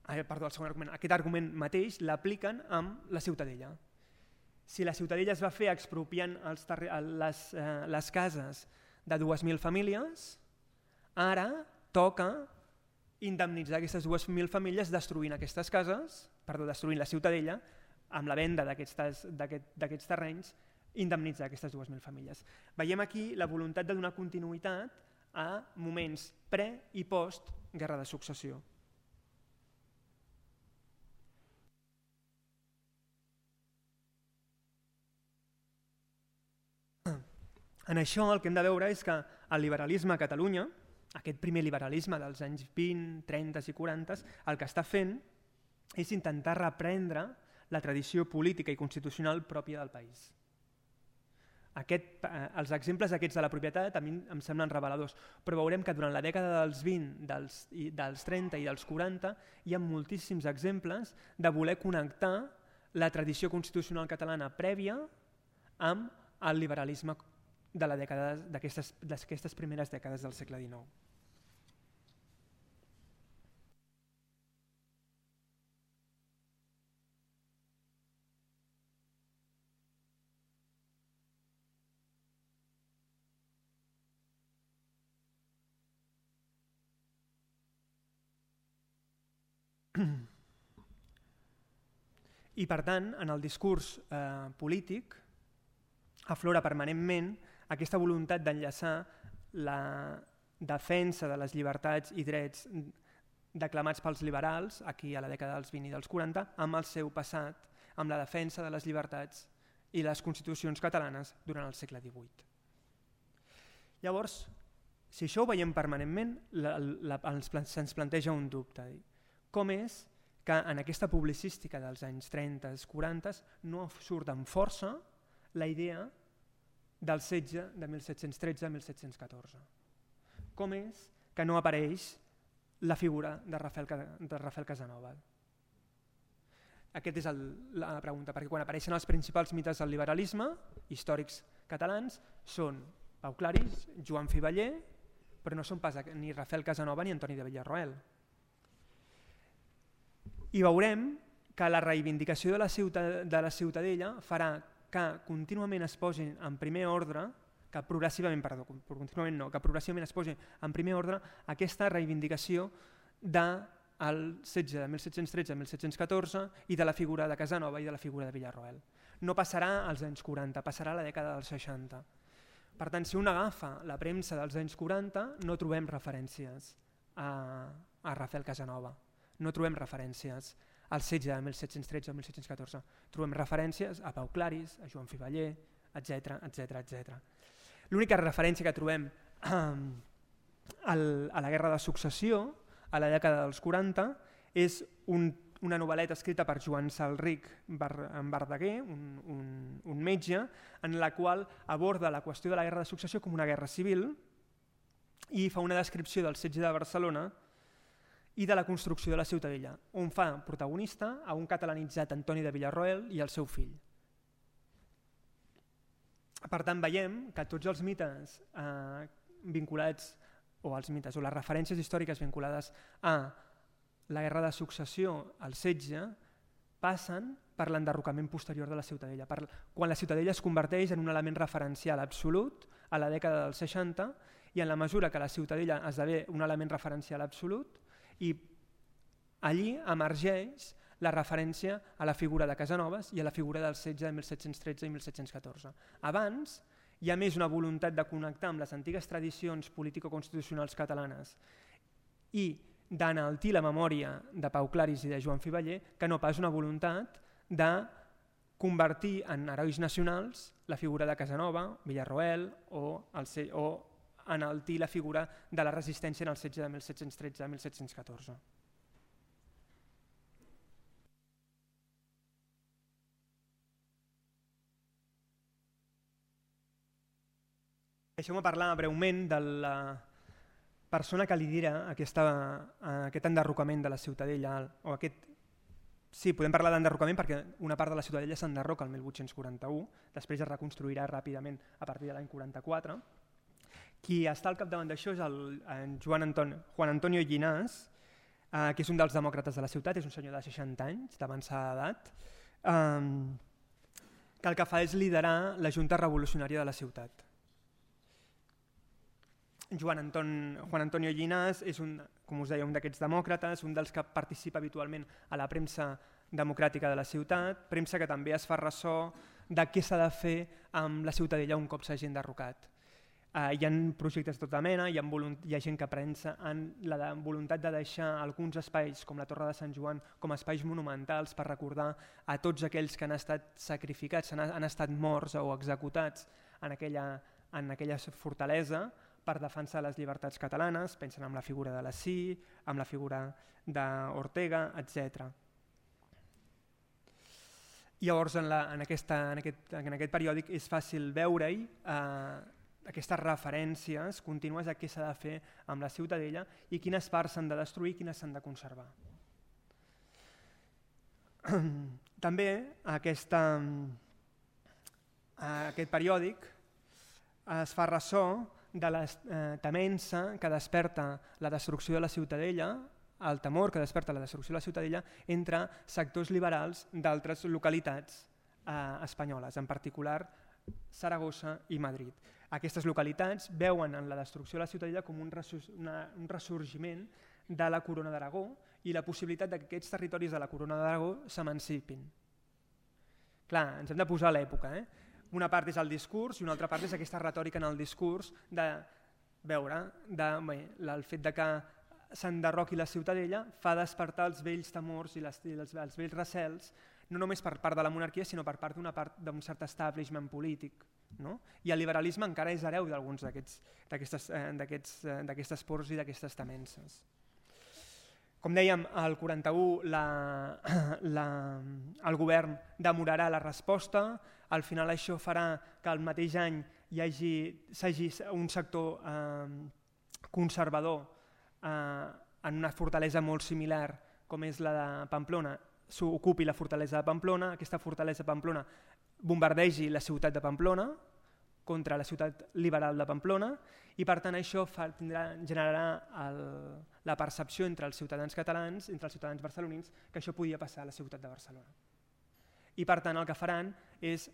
aquest argument mateix l'apliquen amb la Ciutadella. Si la Ciutadella es va fer expropiant les cases de 2.000 famílies, ara toca indemnitzar aquestes 2.000 famílies destruint aquestes cases, destruint la Ciutadella, amb la venda d'aquests terrenys, indemnitzar aquestes 2.000 famílies. Veiem aquí la voluntat de donar continuïtat a moments pre- i post-Guerra de Successió. En això el que hem de veure és que el liberalisme a Catalunya, aquest primer liberalisme dels anys 20, 30 i 40, el que està fent és intentar reprendre la tradició política i constitucional pròpia del país. Els exemples aquests de la propietat a mi em semblen reveladors, però veurem que durant la dècada dels 20, dels 30 i dels 40 hi ha moltíssims exemples de voler connectar la tradició constitucional catalana prèvia amb el liberalisme d'aquestes primeres dècades del segle XIX. I per tant, en el discurs polític aflora permanentment aquesta voluntat d'enllaçar la defensa de les llibertats i drets declamats pels liberals, aquí a la dècada dels 20 i dels 40, amb el seu passat, amb la defensa de les llibertats i les constitucions catalanes durant el segle XVIII. Llavors, si això ho veiem permanentment, se'ns planteja un dubte. Com és que en aquesta publicística dels anys 30 i 40 no surt amb força la idea del setge de 1713-1714? Com és que no apareix la figura de Rafael Casanova? Aquesta és la pregunta, perquè quan apareixen els principals mites del liberalisme, històrics catalans, són Pau Claris, Joan Fiveller, però no són pas ni Rafael Casanova ni Antoni de Villarroel. I veurem que la reivindicació de la Ciutadella farà que contínuament es posin en primer ordre, que progressivament es posi en primer ordre aquesta reivindicació del setge de 1713-1714 i de la figura de Casanova i de la figura de Villarroel. No passarà als anys 40, passarà a la dècada dels 60. Per tant, si un agafa la premsa dels anys 40, no trobem referències a Rafael Casanova, no trobem referències al setge de 1713-1714, trobem referències a Pau Claris, a Joan Fiveller, etc. L'única referència que trobem a la Guerra de Successió, a la dècada dels 40, és una novel·leta escrita per Joan Salric Verdaguer, un metge, en la qual aborda la qüestió de la Guerra de Successió com una guerra civil i fa una descripció del setge de Barcelona i de la construcció de la Ciutadella, on fa protagonista a un catalanitzat Antoni de Villarroel i el seu fill. Per tant, veiem que tots els mites vinculats, o les referències històriques vinculades a la Guerra de Successió, al setge, passen per l'enderrocament posterior de la Ciutadella, quan la Ciutadella es converteix en un element referencial absolut a la dècada dels 60, i en la mesura que la Ciutadella esdevé un element referencial absolut, i allí emergeix la referència a la figura de Casanovas i a la figura del setge de 1713 i 1714. Abans hi ha més una voluntat de connectar amb les antigues tradicions político-constitucionals catalanes i d'enaltir la memòria de Pau Claris i de Joan Fiveller que no pas una voluntat de convertir en herois nacionals la figura de Casanova, Villarroel o enaltir la figura de la resistència en el setge de 1713 a 1714. Deixeu-me parlar breument de la persona que lidera aquest enderrocament de la Ciutadella. Sí, podem parlar d'enderrocament perquè una part de la Ciutadella s'enderroca el 1841, després es reconstruirà ràpidament a partir de l'any 44. Qui està al capdavant d'això és el Juan Antonio Llinàs, que és un dels demòcrates de la ciutat, és un senyor de 60 anys, d'avançada edat, que el que fa és liderar la Junta Revolucionària de la ciutat. Juan Antonio Llinàs és, com us deia, un d'aquests demòcrates, un dels que participa habitualment a la premsa democràtica de la ciutat, premsa que també es fa ressò de què s'ha de fer amb la Ciutadella un cop s'hagi enderrocat. Hi ha projectes de tota mena, hi ha gent que pensa en la voluntat de deixar alguns espais com la Torre de Sant Joan com a espais monumentals per recordar a tots aquells que han estat sacrificats, han estat morts o executats en aquella fortalesa per defensar les llibertats catalanes, pensen en la figura de Lassí, en la figura d'Ortega, etc. Llavors, en aquest periòdic és fàcil veure-hi aquestes referències contínues a què s'ha de fer amb la Ciutadella i quines parts s'han de destruir i quines s'han de conservar. També aquest periòdic es fa ressò de la temença que desperta la destrucció de la Ciutadella, el temor que desperta la destrucció de la Ciutadella entre sectors liberals d'altres localitats espanyoles, en particular Saragossa i Madrid. Aquestes localitats veuen en la destrucció de la Ciutadella com un ressorgiment de la Corona d'Aragó i la possibilitat que aquests territoris de la Corona d'Aragó s'emancipin. Clar, ens hem de posar a l'època. Una part és el discurs i una altra part és aquesta retòrica en el discurs de veure el fet de que s'enderroqui la Ciutadella fa despertar els vells temors i els vells recels, no només per part de la monarquia, sinó per part d'un cert establishment polític. No? I el liberalisme encara és hereu d'alguns d'aquestes pors i d'aquestes temences. Com dèiem, al 41 el govern demorarà la resposta, al final això farà que el mateix any hi hagi un sector conservador en una fortalesa molt similar com és la de Pamplona, s'ocupi la fortalesa de Pamplona, aquesta fortalesa de Pamplona bombardegi la ciutat de Pamplona contra la ciutat liberal de Pamplona i per tant això generarà la percepció entre els ciutadans catalans, entre els ciutadans barcelonins, que això podia passar a la ciutat de Barcelona. I per tant el que faran és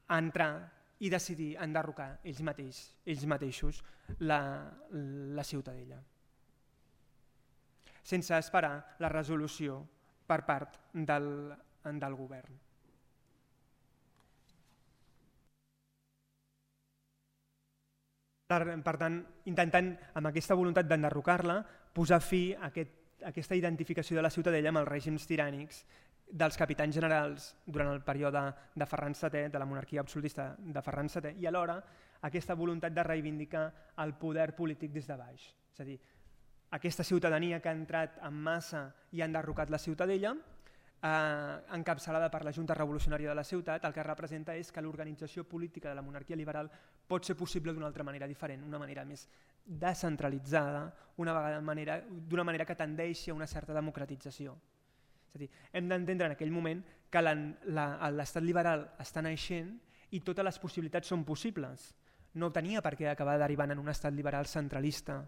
entrar i decidir enderrocar ells mateixos la Ciutadella, sense esperar la resolució per part del govern. Per tant, intentant, amb aquesta voluntat d'enderrocar-la, posar fi a aquesta identificació de la Ciutadella amb els règims tirànics dels capitans generals durant el període de Ferran VII, de la monarquia absolutista de Ferran VII, i alhora aquesta voluntat de reivindicar el poder polític des de baix. És a dir, aquesta ciutadania que ha entrat en massa i ha enderrocat la Ciutadella, encapçalada per la Junta Revolucionària de la Ciutat, el que representa és que l'organització política de la monarquia liberal pot ser possible d'una altra manera diferent, una manera més descentralitzada, d'una manera que tendeixi a una certa democratització. És a dir, hem d'entendre en aquell moment que l'estat liberal està naixent i totes les possibilitats són possibles. No tenia per què acabar derivant en un estat liberal centralista,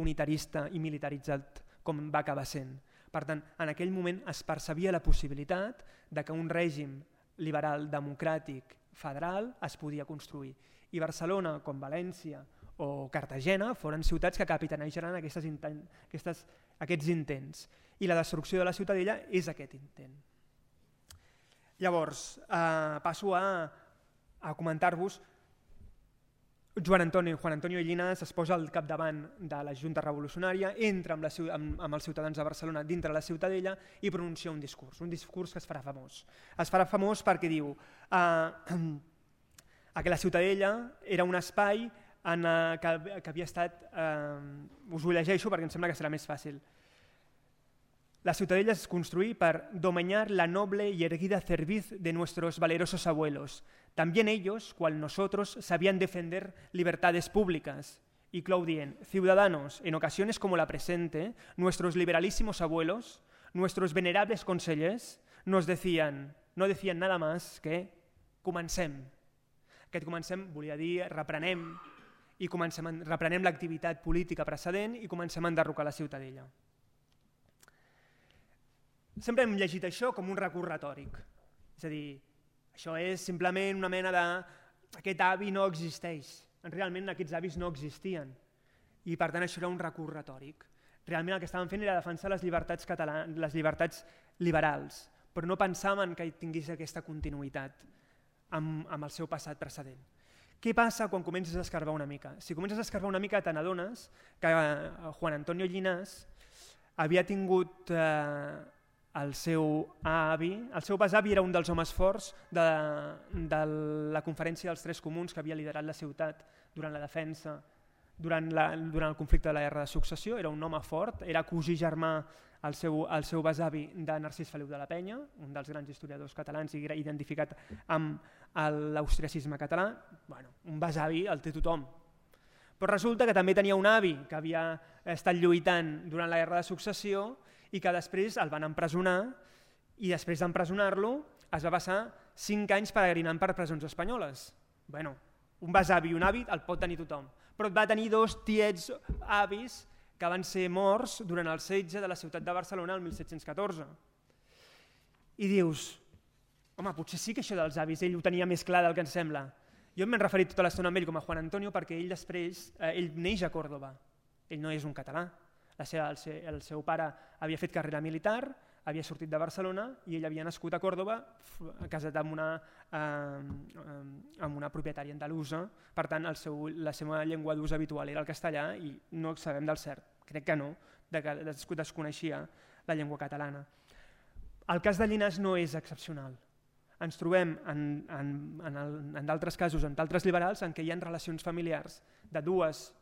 unitarista i militaritzat com va acabar sent. Per tant, en aquell moment es percebia la possibilitat de que un règim liberal, democràtic, federal es podia construir. I Barcelona, com València o Cartagena, foren ciutats que capitanejaran aquests intents. I la destrucció de la Ciutadella és aquest intent. Llavors, passo a comentar-vos. Juan Antonio Llinàs es posa al capdavant de la Junta Revolucionària, entra amb els ciutadans de Barcelona dintre la Ciutadella i pronuncia un discurs que es farà famós. Es farà famós perquè diu que la Ciutadella era un espai que havia estat... Us ho llegeixo perquè em sembla que serà més fàcil. La Ciutadella es construí para domeñar la noble y erguida cerviz de nuestros valerosos abuelos. También ellos, cual nosotros, sabían defender libertades públicas. Y Claudien, ciudadanos, en ocasiones como la presente, nuestros liberalísimos abuelos, nuestros venerables consellers, no decían nada más que comencem. Aquest comencem volia dir reprenem l'activitat política precedent i comencem a enderrocar la Ciutadella. Sempre hem llegit això com un recurs retòric. És a dir, això és simplement una mena de... Aquest avi no existeix. Realment aquests avis no existien. I per tant això era un recurs retòric. Realment el que estaven fent era defensar les llibertats liberals, però no pensaven que tingués aquesta continuïtat amb el seu passat precedent. Què passa quan comences a escarbar una mica? Si comences a escarbar una mica te n'adones que Juan Antonio Llinàs havia tingut... El seu besavi era un dels homes forts de la conferència dels Tres Comuns que havia liderat la ciutat durant la defensa, durant el conflicte de la Guerra de Successió. Era un home fort, era cosí germà el seu besavi de Narcís Feliu de la Penya, un dels grans historiadors catalans i identificat amb l'austriacisme català. Un besavi el té tothom. Però resulta que també tenia un avi que havia estat lluitant durant la Guerra de Successió i que després el van empresonar i després d'empresonar-lo es va passar 5 anys peregrinant per presons espanyoles. Un besavi i un avi el pot tenir tothom, però va tenir 2 tiets avis que van ser morts durant el setge de la ciutat de Barcelona el 1714. I dius, home, potser sí que això dels avis ell ho tenia més clar del que ens sembla. Jo m'he referit tota l'estona amb ell com a Juan Antonio perquè ell neix a Còrdova, ell no és un català. El seu pare havia fet carrera militar, havia sortit de Barcelona i ell havia nascut a Còrdova, casat amb una propietària andalusa, per tant la seva llengua d'ús habitual era el castellà i no sabem del cert, crec que no, que desconeixia la llengua catalana. El cas de Llinàs no és excepcional. Ens trobem en d'altres casos, en d'altres liberals, en què hi ha relacions familiars de dues,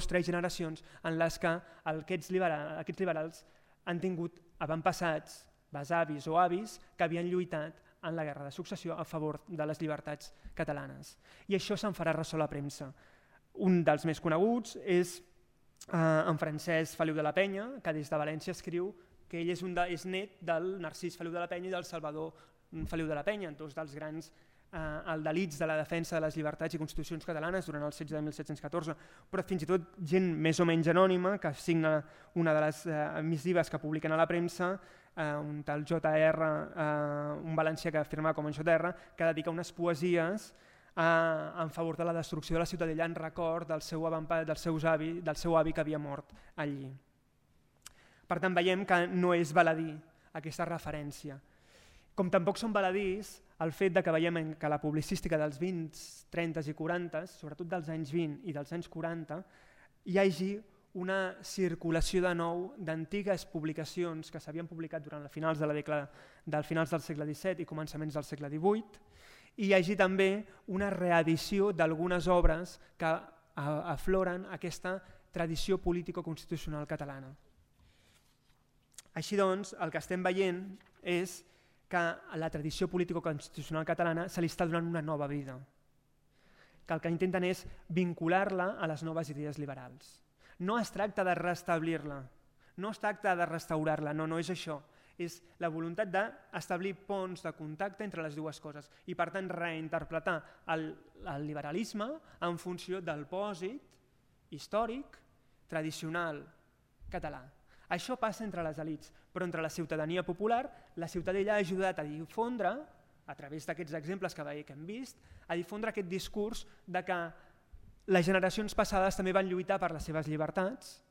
tres generacions en les que aquests liberals han tingut avantpassats, besavis o avis, que havien lluitat en la guerra de successió a favor de les llibertats catalanes. I això se'n farà ressò a la premsa. Un dels més coneguts és en Francesc Feliu de la Penya, que des de València escriu que ell és net del Narcís Feliu de la Penya i del Salvador Feliu de la Penya, dos dels grans aldalits de la defensa de les llibertats i constitucions catalanes durant el setge de 1714, però fins i tot gent més o menys anònima que signa una de les missives que publiquen a la premsa, un tal JR, un valencià que firma com en JR, que dedica unes poesies en favor de la destrucció de la Ciutadella en record del seu avi que havia mort allí. Per tant, veiem que no és baladí aquesta referència. Com tampoc són baladís el fet que veiem que la publicística dels 20, 30 i 40, sobretot dels anys 20 i dels anys 40, hi hagi una circulació de nou d'antigues publicacions que s'havien publicat durant els finals del segle XVII i començaments del segle XVIII, i hi hagi també una reedició d'algunes obres que afloren aquesta tradició político-constitucional catalana. Així doncs, el que estem veient és que a la tradició político-constitucional catalana se li està donant una nova vida, que el que intenten és vincular-la a les noves idees liberals. No es tracta de restablir-la, no es tracta de restaurar-la, no és això. És la voluntat d'establir ponts de contacte entre les dues coses i, per tant, reinterpretar el liberalisme en funció del pòsit històric, tradicional, català. Això passa entre les elits, però entre la ciutadania popular, la Ciutadella ha ajudat a difondre, a través d'aquests exemples que hem vist, a difondre aquest discurs de que les generacions passades també van lluitar per les seves llibertats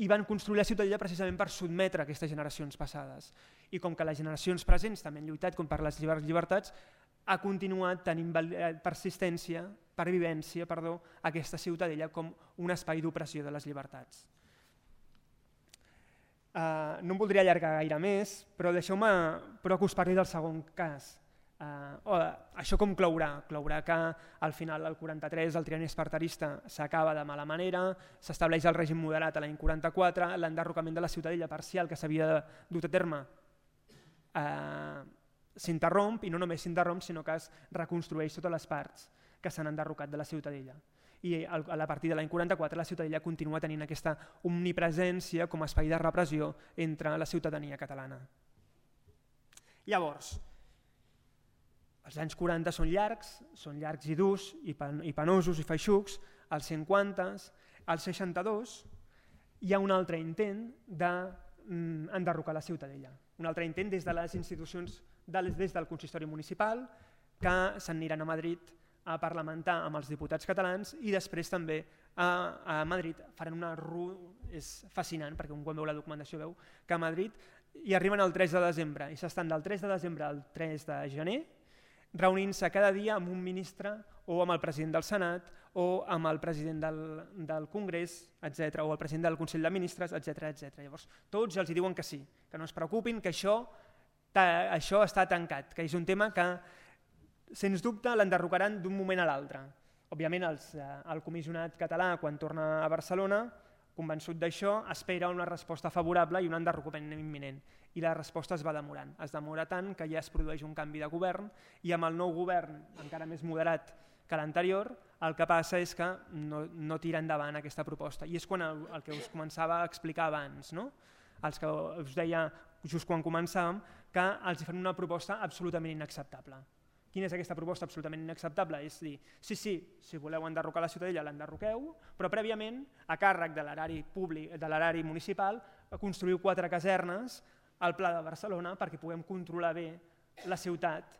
i van construir la Ciutadella precisament per sotmetre aquestes generacions passades. I com que les generacions presents també han lluitat per les llibertats, ha continuat tenint persistència, pervivència, aquesta Ciutadella com un espai d'opressió de les llibertats. No em voldria allargar gaire més, però deixeu-me que us parli del segon cas. Això com clourà? Clourà que al final del 43 el trienni esparterista s'acaba de mala manera, s'estableix el règim moderat a l'any 44, l'enderrocament de la Ciutadella parcial que s'havia dut a terme s'interromp, i no només s'interromp sinó que es reconstrueix totes les parts que s'han enderrocat de la Ciutadella. I a partir de l'any 44 la Ciutadella continua tenint aquesta omnipresència com a espai de repressió entre la ciutadania catalana. Llavors, els anys 40 són llargs i durs i penosos i feixucs, als 50, als 62 hi ha un altre intent d'enderrocar la Ciutadella, un altre intent des de les institucions, des del consistori municipal, que s'aniran a Madrid a parlamentar amb els diputats catalans i després també a Madrid faran una és fascinant perquè quan veu la documentació veu que a Madrid hi arriben el 3 de desembre i s'estan del 3 de desembre al 3 de gener reunint-se cada dia amb un ministre o amb el president del Senat o amb el president del Congrés, etc., o el president del Consell de Ministres, etc. Llavors, tots els diuen que sí, que no es preocupin, que això està tancat, que és un tema que, sens dubte, l'enderrocaran d'un moment a l'altre. Òbviament, el comissionat català, quan torna a Barcelona, convençut d'això, espera una resposta favorable i un enderrocament imminent. I la resposta es va demorant. Es demora tant que ja es produeix un canvi de govern i amb el nou govern, encara més moderat que l'anterior, el que passa és que no tira endavant aquesta proposta. I és quan el que us començava a explicar abans, els que us deia just quan començàvem, que els fan una proposta absolutament inacceptable. Quina és aquesta proposta absolutament inacceptable? És dir, sí, si voleu enderrocar la Ciutadella, l'enderroqueu, però prèviament, a càrrec de l'erari públic, de l'erari municipal, construïu 4 casernes al Pla de Barcelona perquè puguem controlar bé la ciutat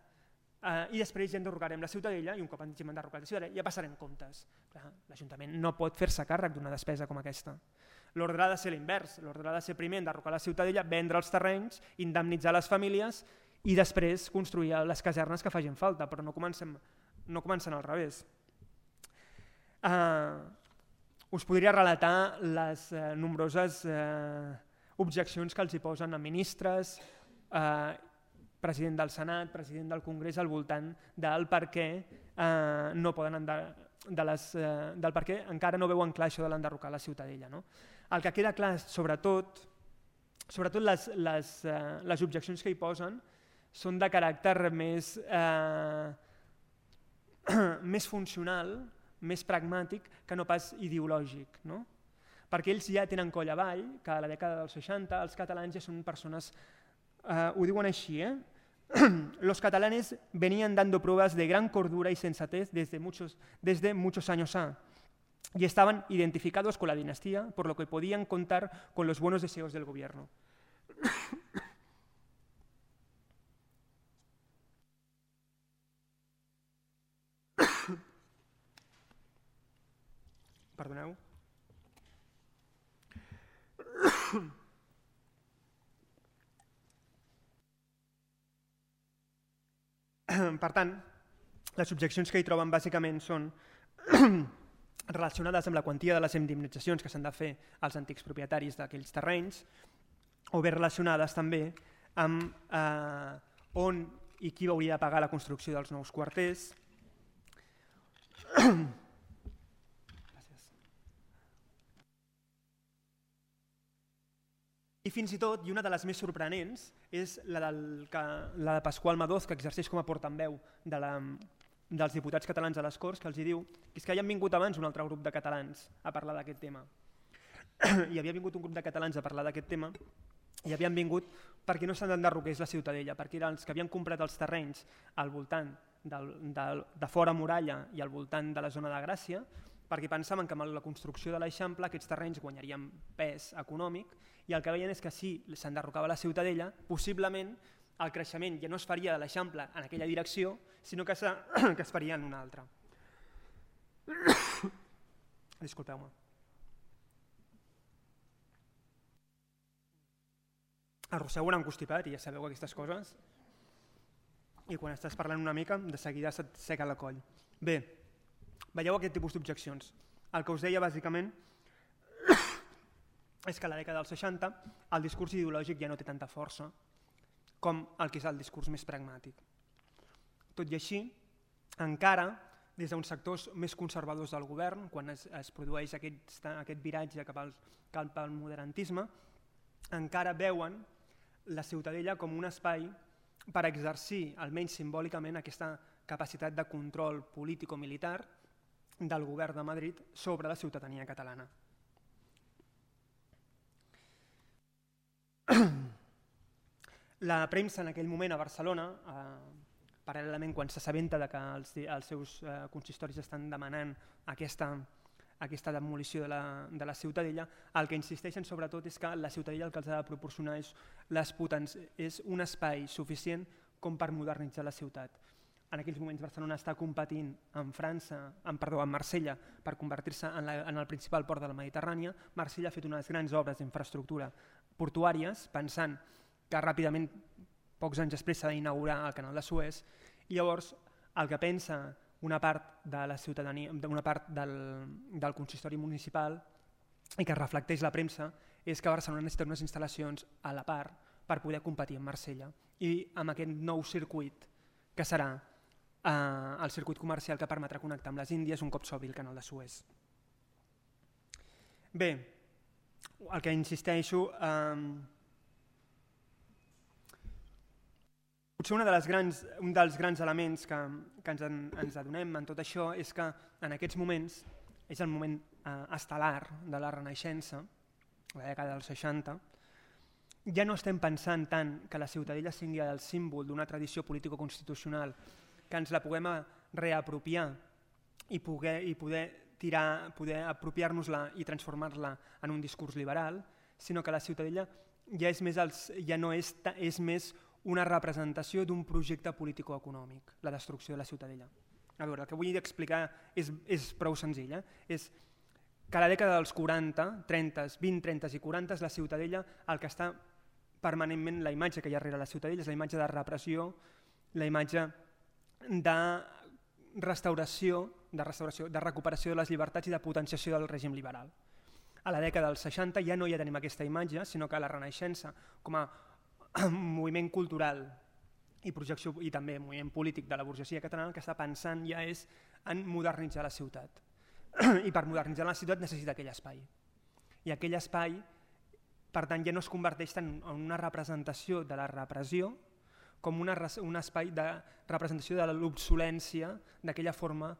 i després ja enderrocarem la Ciutadella i un cop hagin enderrocat la Ciutadella ja passarem comptes. L'Ajuntament no pot fer-se càrrec d'una despesa com aquesta. L'ordre ha de ser l'invers, l'ordre ha de ser primer enderrocar la ciutadella, vendre els terrenys, indemnitzar les famílies i després construir les casernes que facin falta, però no comencen al revés. Us podria relatar les nombroses objeccions que els hi posen a ministres, president del Senat, president del Congrés, al voltant del per què no poden del per què encara no veuen clar això de l'enderrocar la ciutadella. No? El que queda clar, sobretot les objeccions que hi posen són de caràcter més funcional, més pragmàtic que no pas ideològic. No? Perquè ells ja tenen coll avall que a la dècada dels 60 els catalans ja són persones, ho diuen així, los catalanes venían dando pruebas de gran cordura y sensatez desde muchos años y estaban identificados con la dinastía, por lo que podían contar con los buenos deseos del gobierno. Perdoneu. Per tant, les objeccions que hi troben bàsicament són relacionades amb la quantia de les indemnitzacions que s'han de fer als antics propietaris d'aquells terrenys, o bé relacionades també amb on i qui hauria de pagar la construcció dels nous quarters. I fins i tot, i una de les més sorprenents, és la de Pasqual Madoz, que exerceix com a portaveu dels diputats catalans a les Corts, que els diu que és que hi han vingut abans un altre grup de catalans a parlar d'aquest tema. Hi havia vingut un grup de catalans a parlar d'aquest tema i havien vingut perquè no se'n enderroqués la ciutadella, perquè eren els que havien comprat els terrenys al voltant de fora muralla i al voltant de la zona de Gràcia, perquè pensaven que amb la construcció de l'Eixample aquests terrenys guanyarien pes econòmic i el que veien és que si s'enderrocava la ciutadella, possiblement el creixement ja no es faria de l'Eixample en aquella direcció, sinó que es faria en una altra. Disculpeu-me. Arrossego un constipat i ja sabeu aquestes coses. I quan estàs parlant una mica, de seguida se't seca la coll. Bé, veieu aquest tipus d'objeccions. El que us deia bàsicament és que a la dècada dels 60 el discurs ideològic ja no té tanta força com el que és el discurs més pragmàtic. Tot i així, encara des d'uns sectors més conservadors del govern, quan es produeix aquest viratge cap al modernisme, encara veuen la ciutadella com un espai per exercir, almenys simbòlicament, aquesta capacitat de control político-militar del govern de Madrid sobre la ciutadania catalana. La premsa en aquell moment a Barcelona, paral·lelament quan s'assabenta que els seus consistoris estan demanant aquesta demolició de la ciutadella, el que insisteixen sobretot és que la ciutadella el que els ha de proporcionar és un espai suficient com per modernitzar la ciutat. En aquells moments Barcelona està competint amb Marsella per convertir-se en el principal port de la Mediterrània. Marsella ha fet unes grans obres d'infraestructura portuàries pensant que ràpidament, pocs anys després, s'ha d'inaugurar el canal de Suez, i llavors el que pensa una part de la ciutadania, una part del consistori municipal i que reflecteix la premsa és que Barcelona necessita unes instal·lacions a la part per poder competir amb Marsella i amb aquest nou circuit que serà el circuit comercial que permetrà connectar amb les Índies un cop s'obri el canal de Suez. Bé, el que insisteixo, potser un dels grans elements que ens adonem en tot això és que en aquests moments és el moment estel·lar de la Renaixença, la dècada dels 60, ja no estem pensant tant que la ciutadella sigui el símbol d'una tradició político-constitucional que ens la puguem reapropiar i poder apropiar-nos-la i transformar-la en un discurs liberal, sinó que la ciutadella ja no és més una representació d'un projecte político-econòmic, la destrucció de la ciutadella. A veure, el que vull explicar és prou senzill. que a la dècada dels 40, 30, 20, 30 i 40 la Ciutadella, el que està permanentment, la imatge que hi ha darrere la Ciutadella és la imatge de repressió, la imatge de restauració, de recuperació de les llibertats i de potenciació del règim liberal. A la dècada dels 60 ja no hi tenim aquesta imatge, sinó que la Renaixença, com a moviment cultural i projecció i també moviment polític de la burgesia catalana, el que està pensant ja és en modernitzar la ciutat. I per modernitzar la ciutat necessita aquell espai. I aquell espai, per tant, ja no es converteix en una representació de la repressió com un espai de representació de l'obsolència d'aquella forma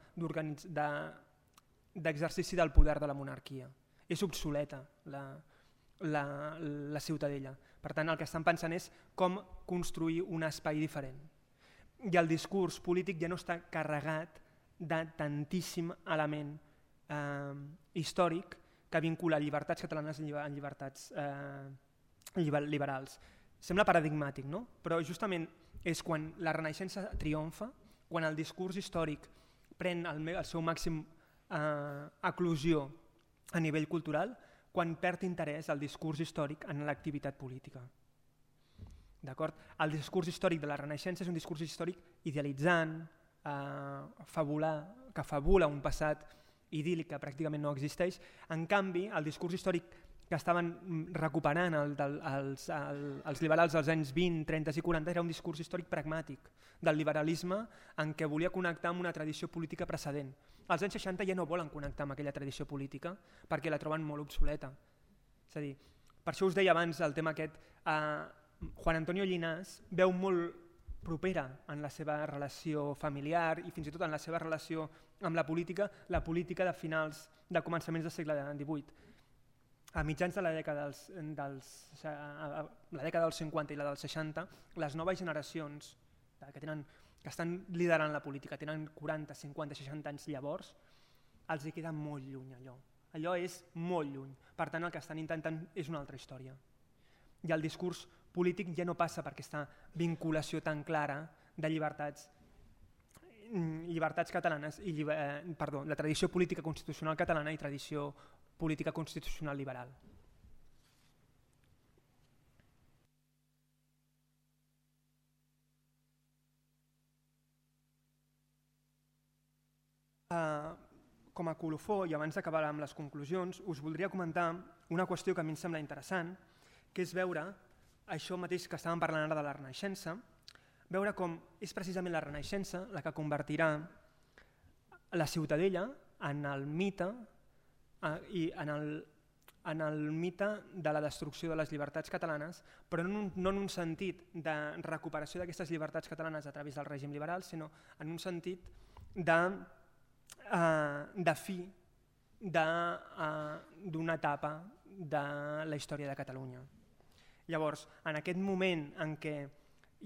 d'exercici del poder de la monarquia. És obsoleta la Ciutadella. Per tant, el que estan pensant és com construir un espai diferent. I el discurs polític ja no està carregat de tantíssim element històric que vincula llibertats catalanes en llibertats liberals. Sembla paradigmàtic, no? Però justament és quan la Renaixença triomfa, quan el discurs històric pren el seu màxim eclosió a nivell cultural, quan perd interès el discurs històric en l'activitat política. D'acord? El discurs històric de la Renaixença és un discurs històric idealitzant, que fabula un passat idíl·lic que pràcticament no existeix. En canvi, el discurs històric que estaven recuperant els liberals dels anys 20, 30 i 40 era un discurs històric pragmàtic del liberalisme en què volia connectar amb una tradició política precedent. Els anys 60 ja no volen connectar amb aquella tradició política perquè la troben molt obsoleta. És a dir, per això us deia abans el tema aquest, Juan Antonio Llinàs veu molt propera en la seva relació familiar i fins i tot en la seva relació amb la política de començaments del segle XVIII. A mitjans de la dècada dels 50 i la dels 60, les noves generacions que estan liderant la política, tenen 40, 50, 60 anys llavors, els hi queda molt lluny allò. Allò és molt lluny. Per tant, el que estan intentant és una altra història. I el discurs polític ja no passa per aquesta vinculació tan clara de llibertats catalanes, de tradició política constitucional catalana i tradició política constitucional liberal. Com a colofó, i abans d'acabar amb les conclusions, us voldria comentar una qüestió que a mi em sembla interessant, que és veure això mateix que estàvem parlant ara de la Renaixença, veure com és precisament la Renaixença la que convertirà la Ciutadella en el mite i en el mite de la destrucció de les llibertats catalanes, però no en un sentit de recuperació d'aquestes llibertats catalanes a través del règim liberal, sinó en un sentit de fi d'una etapa de la història de Catalunya. Llavors, en aquest moment en què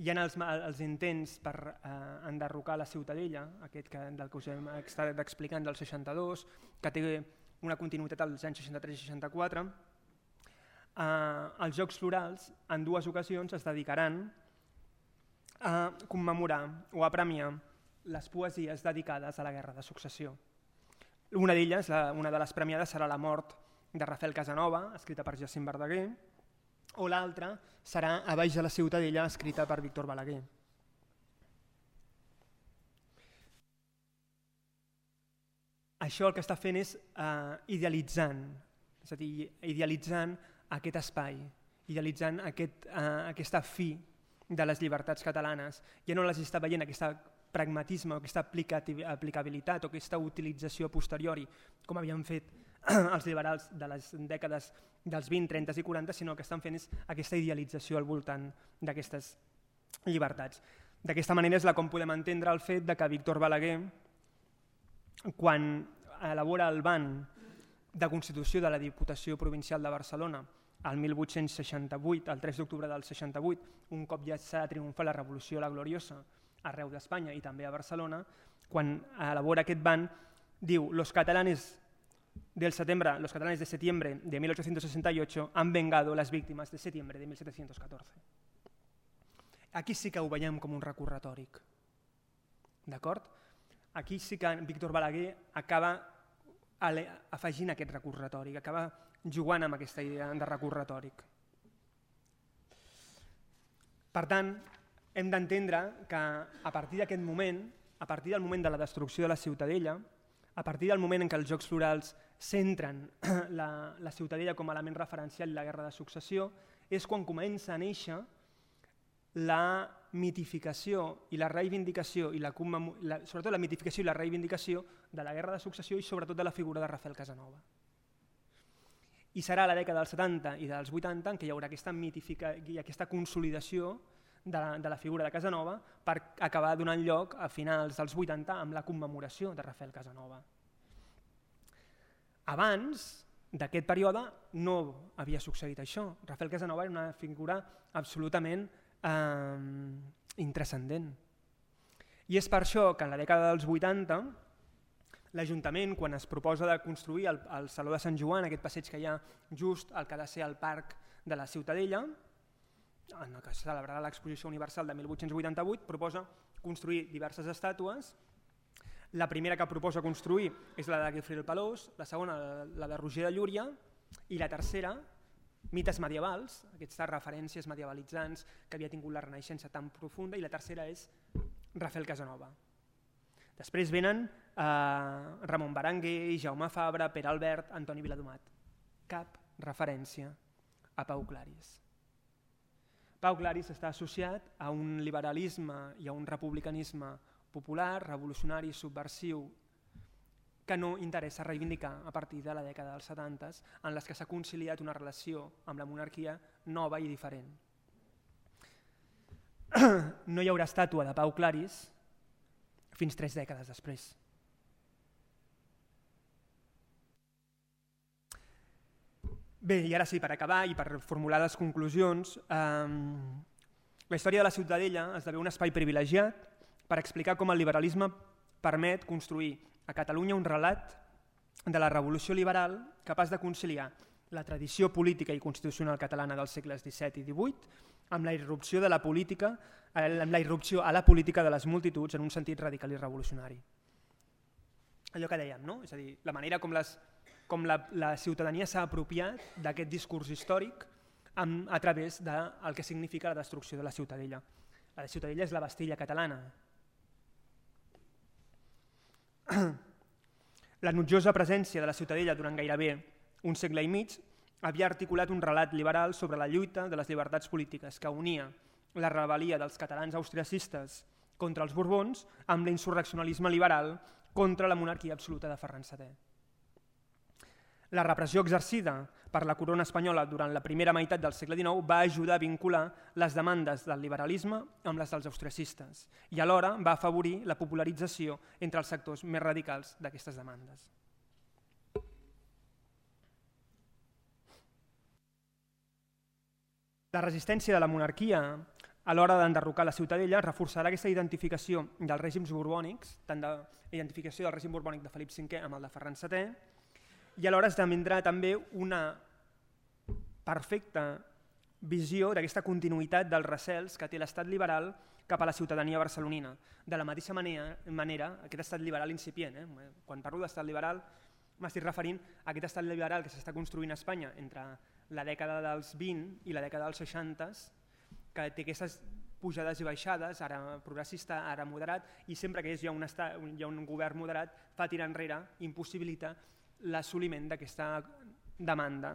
hi ha els intents per enderrocar la Ciutadella, aquest del que us hem estat explicant del 62, que té una continuïtat als anys 63 i 64, els Jocs Florals en dues ocasions es dedicaran a commemorar o a premiar les poesies dedicades a la Guerra de Successió. Una d'elles, una de les premiades, serà La mort de Rafael Casanova, escrita per Jacint Verdaguer, o l'altra serà A baix de la Ciutadella, escrita per Víctor Balaguer. Això el que està fent és idealitzant aquest espai, idealitzant aquesta fi de les llibertats catalanes. Ja no les està veient aquest pragmatisme, aquesta aplicabilitat o aquesta utilització posteriori, com havien fet els liberals de les dècades dels 20, 30 i 40, sinó que estan fent és aquesta idealització al voltant d'aquestes llibertats. D'aquesta manera és com podem entendre el fet que Víctor Balaguer, quan elabora el ban de constitució de la Diputació Provincial de Barcelona el 1868, el 3 d'octubre del 68, un cop ja s'ha triomfat la Revolució la Gloriosa arreu d'Espanya i també a Barcelona, quan elabora aquest ban, diu: los catalanes de septiembre de 1868 han vengado las víctimas de septiembre de 1714. Aquí sí que ho veiem com un recurs retòric. D'acord? Aquí sí que Víctor Balaguer acaba afegint aquest recurs retòric, acaba jugant amb aquesta idea de recurs retòric. Per tant, hem d'entendre que a partir d'aquest moment, a partir del moment de la destrucció de la Ciutadella, a partir del moment en què els Jocs Florals centren la Ciutadella com a element referencial i la Guerra de Successió, és quan comença a néixer la mitificació i la reivindicació, sobretot la mitificació i la reivindicació de la Guerra de Successió i sobretot de la figura de Rafael Casanova. I serà a la dècada dels 70 i dels 80 en què hi haurà aquesta consolidació de la figura de Casanova per acabar donant lloc a finals dels 80 amb la commemoració de Rafael Casanova. Abans d'aquest període no havia succeït això. Rafael Casanova era una figura absolutament intranscendent. I és per això que en la dècada dels 80 l'Ajuntament, quan es proposa de construir el Saló de Sant Joan, aquest passeig que hi ha just al que ha de ser el parc de la Ciutadella, en el que se celebrarà l'Exposició Universal de 1888, proposa construir diverses estàtues. La primera que proposa construir és la de Guifré el Pelós, la segona la de Roger de Llúria i la tercera, mites medievals, aquestes referències medievalitzants que havia tingut la Renaixença tan profunda, i la tercera és Rafael Casanova. Després venen Ramon Berenguer, Jaume Fabra, Pere Albert, Antoni Viladomat. Cap referència a Pau Claris. Pau Claris està associat a un liberalisme i a un republicanisme popular, revolucionari, subversiu, que no interessa reivindicar a partir de la dècada dels 70, en les que s'ha conciliat una relació amb la monarquia nova i diferent. No hi haurà estàtua de Pau Claris fins 3 dècades després. Bé, i ara sí, per acabar i per formular les conclusions, la història de la Ciutadella esdevé un espai privilegiat per explicar com el liberalisme permet construir a Catalunya un relat de la revolució liberal capaç de conciliar la tradició política i constitucional catalana dels segles XVII i XVIII amb la irrupció de la política, amb la irrupció a la política de les multituds en un sentit radical i revolucionari. Allò que dèiem, no? És a dir, la manera com la ciutadania s'ha apropiat d'aquest discurs històric a través del que significa la destrucció de la Ciutadella. La Ciutadella és la Bastilla catalana. La notjosa presència de la Ciutadella durant gairebé un segle i mig havia articulat un relat liberal sobre la lluita de les llibertats polítiques que unia la rebel·lia dels catalans austriacistes contra els Borbons amb l'insurreccionalisme liberal contra la monarquia absoluta de Ferran VII. La repressió exercida per la corona espanyola durant la primera meitat del segle XIX va ajudar a vincular les demandes del liberalisme amb les dels austriacistes i alhora va afavorir la popularització entre els sectors més radicals d'aquestes demandes. La resistència de la monarquia a l'hora d'enderrocar la Ciutadella reforçarà aquesta identificació dels règims borbònics, tant de identificació del règim borbònic de Felip V amb el de Ferran VII, i alhora esdevindrà també una perfecta visió d'aquesta continuïtat dels recels que té l'estat liberal cap a la ciutadania barcelonina. De la mateixa manera, aquest estat liberal incipient, quan parlo d'estat liberal m'estic referint a aquest estat liberal que s'està construint a Espanya entre la dècada dels 20 i la dècada dels 60, que té aquestes pujades i baixades, ara progressista, ara moderat, i sempre que hi ha un govern moderat fa tirar enrere, impossibilita l'assoliment d'aquesta demanda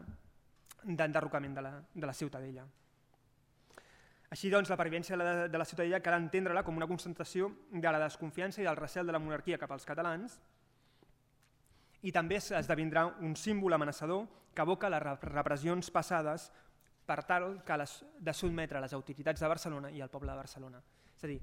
d'enderrocament de la Ciutadella. Així doncs, la pervivència de la Ciutadella cal entendre-la com una concentració de la desconfiança i del recel de la monarquia cap als catalans i també esdevindrà un símbol amenaçador que evoca les repressions passades per tal de sotmetre les autoritats de Barcelona i el poble de Barcelona. És a dir,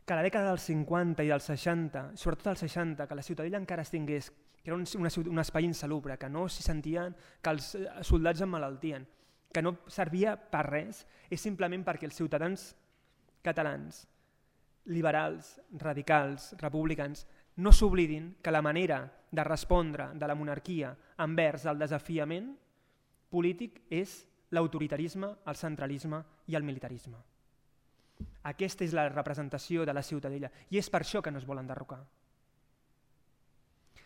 que a la dècada dels 50 i dels 60, sobretot als 60, que la Ciutadella encara es tingués, que era un espai insalubre, que no s'hi sentien, que els soldats emmalaltien, que no servia per res, és simplement perquè els ciutadans catalans, liberals, radicals, republicans, no s'oblidin que la manera de respondre de la monarquia envers el desafiament polític és l'autoritarisme, el centralisme i el militarisme. Aquesta és la representació de la Ciutadella i és per això que no es vol enderrocar.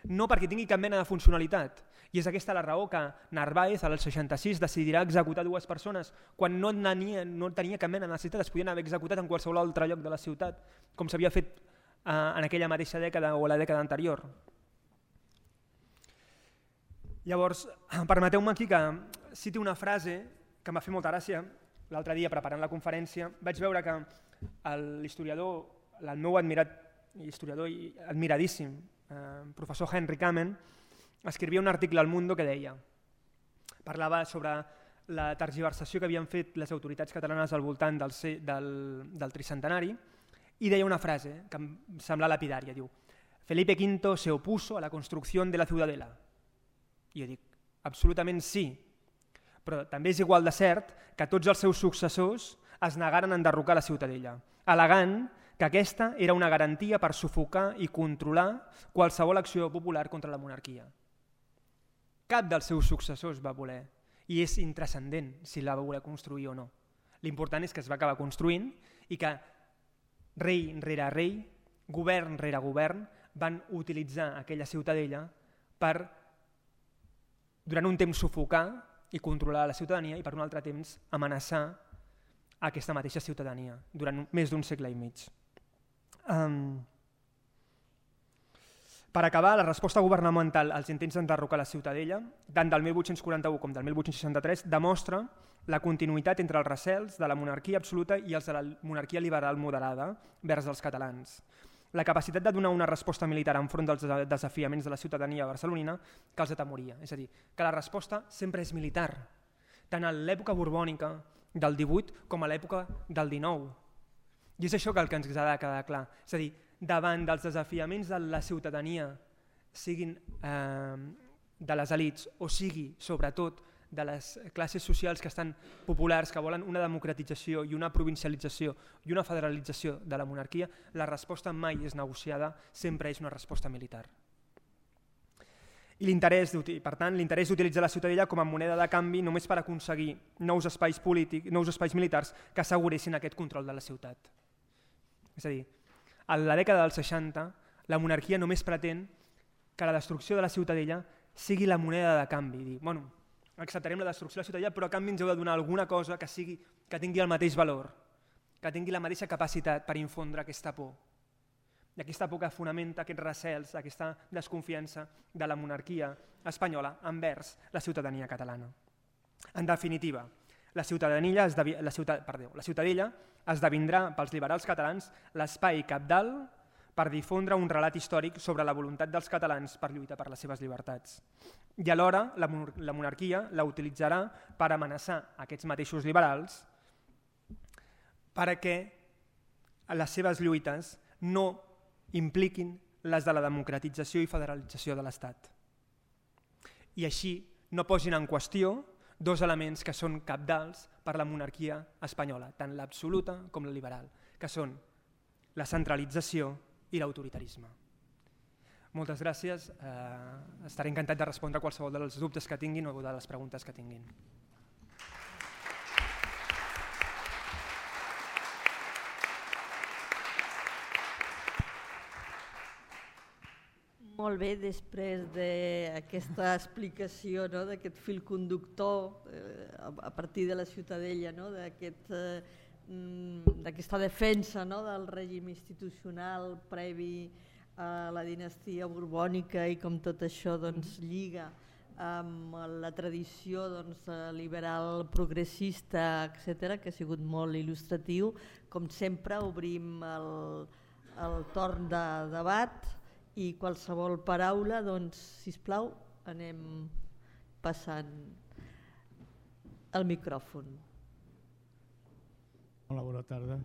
no perquè tingui cap mena de funcionalitat. I és aquesta la raó que Narváez, al 66, decidirà executar 2 persones quan no tenia cap mena de necessitat, es podien haver executat en qualsevol altre lloc de la ciutat, com s'havia fet en aquella mateixa dècada o la dècada anterior. Llavors, permeteu-me aquí que citi una frase que em va fer molta gràcia. L'altre dia, preparant la conferència, vaig veure que l'historiador, el meu historiador i admiradíssim, professor Henry Kamen, escrivia un article al Mundo que deia, parlava sobre la tergiversació que havien fet les autoritats catalanes al voltant del tricentenari i deia una frase que em sembla lapidària, diu: Felipe V se opuso a la construcción de la ciudadela. I jo dic, absolutament sí, però també és igual de cert que tots els seus successors es negaren a enderrocar la ciutadella, al·legant que aquesta era una garantia per sufocar i controlar qualsevol acció popular contra la monarquia. Cap dels seus successors va voler, i és intranscendent si la va voler construir o no. L'important és que es va acabar construint i que rei rere rei, govern rere govern, van utilitzar aquella ciutadella per, durant un temps, sufocar i controlar la ciutadania i per un altre temps amenaçar aquesta mateixa ciutadania durant més d'un segle i mig. Per acabar, la resposta governamental als intents d'enderrocar la ciutadella, tant del 1841 com del 1863, demostra la continuïtat entre els recels de la monarquia absoluta i els de la monarquia liberal moderada vers els catalans. La capacitat de donar una resposta militar enfront dels desafiaments de la ciutadania barcelonina que els atemoria. És a dir, que la resposta sempre és militar, tant a l'època borbònica del 18 com a l'època del 19. I és això que ens ha de quedar clar. És a dir, davant dels desafiaments de la ciutadania, siguin de les elits o sigui, sobretot, de les classes socials que estan populars, que volen una democratització i una provincialització i una federalització de la monarquia, la resposta mai és negociada, sempre és una resposta militar. I per tant, l'interès d'utilitzar la ciutadella com a moneda de canvi només per aconseguir nous espais polítics, nous espais militars que asseguressin aquest control de la ciutat. És a dir, a la dècada dels 60, la monarquia només pretén que la destrucció de la ciutadella sigui la moneda de canvi. Dir, bueno, acceptarem la destrucció de la ciutadella, però a canvi ens heu de donar alguna cosa que tingui el mateix valor, que tingui la mateixa capacitat per infondre aquesta por. I aquesta por que fonamenta aquests recels, aquesta desconfiança de la monarquia espanyola envers la ciutadania catalana. En definitiva, la ciutadella esdevindrà pels liberals catalans l'espai cabdal per difondre un relat històric sobre la voluntat dels catalans per lluitar per les seves llibertats. I alhora la monarquia la utilitzarà per amenaçar aquests mateixos liberals perquè les seves lluites no impliquin les de la democratització i federalització de l'Estat. I així no posin en qüestió dos elements que són cabdals per la monarquia espanyola, tant l'absoluta com la liberal, que són la centralització i l'autoritarisme. Moltes gràcies. Estaré encantat de respondre a qualsevol dels dubtes que tinguin o de les preguntes que tinguin. Molt bé, després d'aquesta explicació, d'aquest fil conductor a partir de la ciutadella, d'aquesta defensa del règim institucional previ a la dinastia borbònica i com tot això lliga amb la tradició liberal progressista, etc., que ha sigut molt il·lustratiu. Com sempre, obrim el torn de debat i qualsevol paraula, sisplau, anem passant el micròfon. Hola, bona tarda.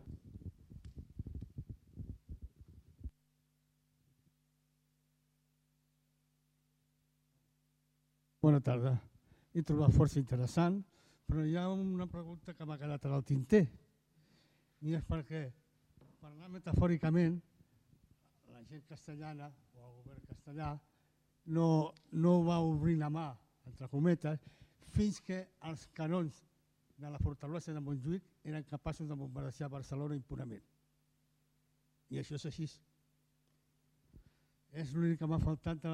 Bona tarda. He trobat força interessant, però hi ha una pregunta que m'ha quedat en el tinter. I és perquè, parlant metafòricament, la gent castellana o el govern castellà no va obrir la mà, entre cometes, fins que els canons de la fortalesa de Montjuïc eren capaços de bombardejar Barcelona impunament. I això és així. És l'únic que m'ha faltat de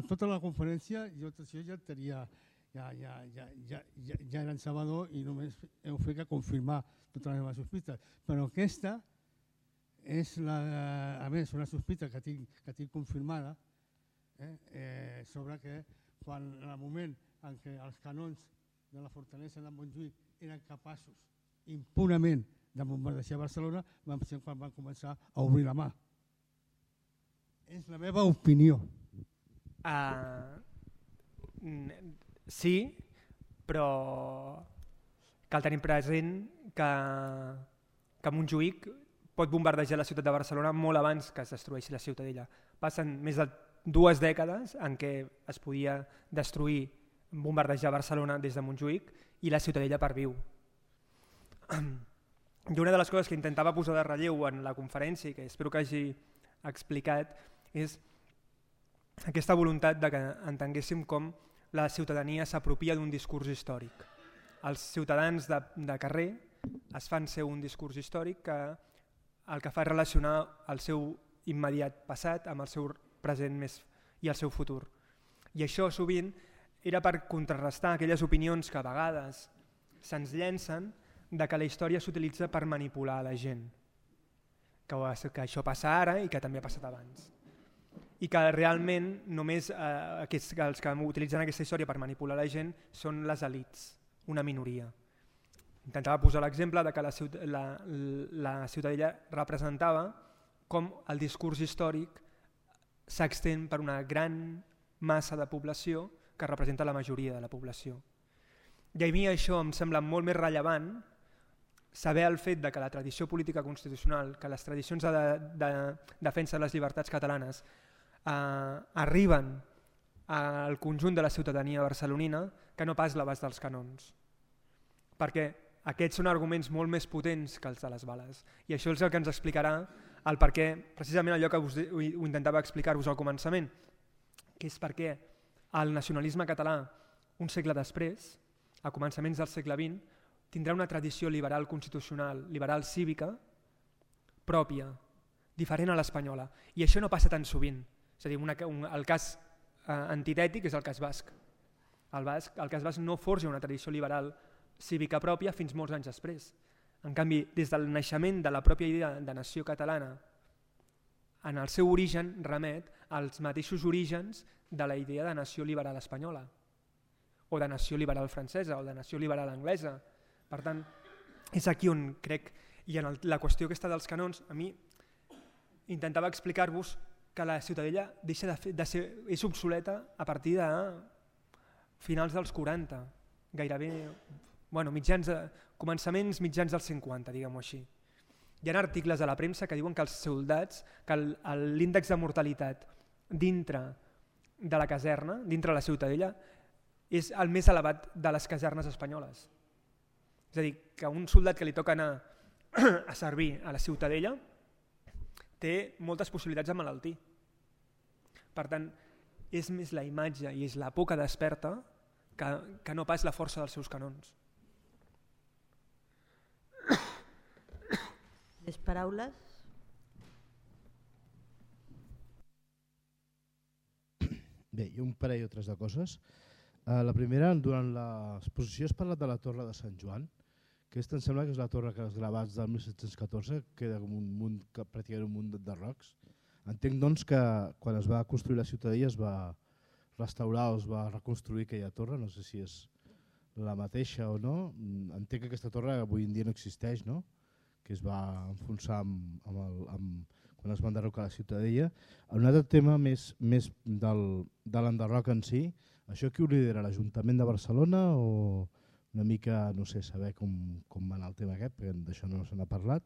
tota la conferència. Jo ja tenia, ja era en Salvador i només heu fet que confirmar totes les meves sospites. Però aquesta és, a més, una sospita que tinc confirmada sobre que quan en el moment en què els canons de la fortalesa de Montjuïc eren capaços impunament de bombardejar Barcelona, van ser quan van començar a obrir la mà. És la meva opinió. Sí, però cal tenir present que Montjuïc pot bombardejar la ciutat de Barcelona molt abans que es destrueixi la Ciutadella. Passen més de 2 dècades en què es podia destruir, bombardejar Barcelona des de Montjuïc i la Ciutadella perviu. I una de les coses que intentava posar de relleu en la conferència, que espero que hagi explicat, és aquesta voluntat de que entenguéssim com la ciutadania s'apropia d'un discurs històric. Els ciutadans de carrer es fan ser un discurs històric que el que fa és relacionar el seu immediat passat amb el seu present i el seu futur. I això sovint era per contrarrestar aquelles opinions que a vegades se'ns llencen de que la història s'utilitza per manipular la gent, que això passa ara i que també ha passat abans. I que realment només els que utilitzen aquesta història per manipular la gent són les elits, una minoria. Intentava posar l'exemple de que la Ciutadella representava com el discurs històric s'extén per una gran massa de població que representa la majoria de la població. I a mi això em sembla molt més rellevant saber el fet de que la tradició política constitucional, que les tradicions de defensa de les llibertats catalanes arriben al conjunt de la ciutadania barcelonina que no pas l'abast dels canons. Perquè aquests són arguments molt més potents que els de les bales. I això és el que ens explicarà el per què, precisament allò que ho intentava explicar-vos al començament, que és perquè el nacionalisme català, un segle després, a començaments del segle XX, tindrà una tradició liberal constitucional, liberal cívica, pròpia, diferent a l'espanyola. I això no passa tan sovint. És a dir, el cas antitètic és el cas basc. El cas basc no forja una tradició liberal cívica pròpia fins molts anys després. En canvi, des del naixement de la pròpia idea de nació catalana, en el seu origen remet als mateixos orígens de la idea de nació liberal espanyola, o de nació liberal francesa, o de nació liberal anglesa. Per tant, és aquí on crec, i en la qüestió aquesta dels canons, a mi intentava explicar-vos que la Ciutadella és obsoleta a partir de finals dels 40, gairebé començaments mitjans dels 50, diguem-ho així. Hi ha articles a la premsa que diuen que els soldats, que l'índex de mortalitat dintre de la caserna, dintre de la Ciutadella, és el més elevat de les casernes espanyoles. És a dir, que un soldat que li toca anar a servir a la Ciutadella té moltes possibilitats de malaltir. Per tant, és més la imatge i és la por que desperta que no pas la força dels seus canons. Les paraules? Bé, hi ha un parell o tres de coses. La primera, durant l'exposició has parlat de la Torre de Sant Joan, que em sembla que és la torre que els gravats del 1714 queda com pràcticament un munt de rocs. Entenc doncs que quan es va construir la Ciutadella es va restaurar o es va reconstruir aquella torre, no sé si és la mateixa o no. Entenc que aquesta torre avui en dia no existeix, no? Que es va enfonsar quan es va enderrocar la Ciutadella. Un altre tema més de l'enderroc en si, això qui ho lidera, l'Ajuntament de Barcelona o una mica, no sé, saber com va anar el tema aquest, perquè d'això no se n'ha parlat.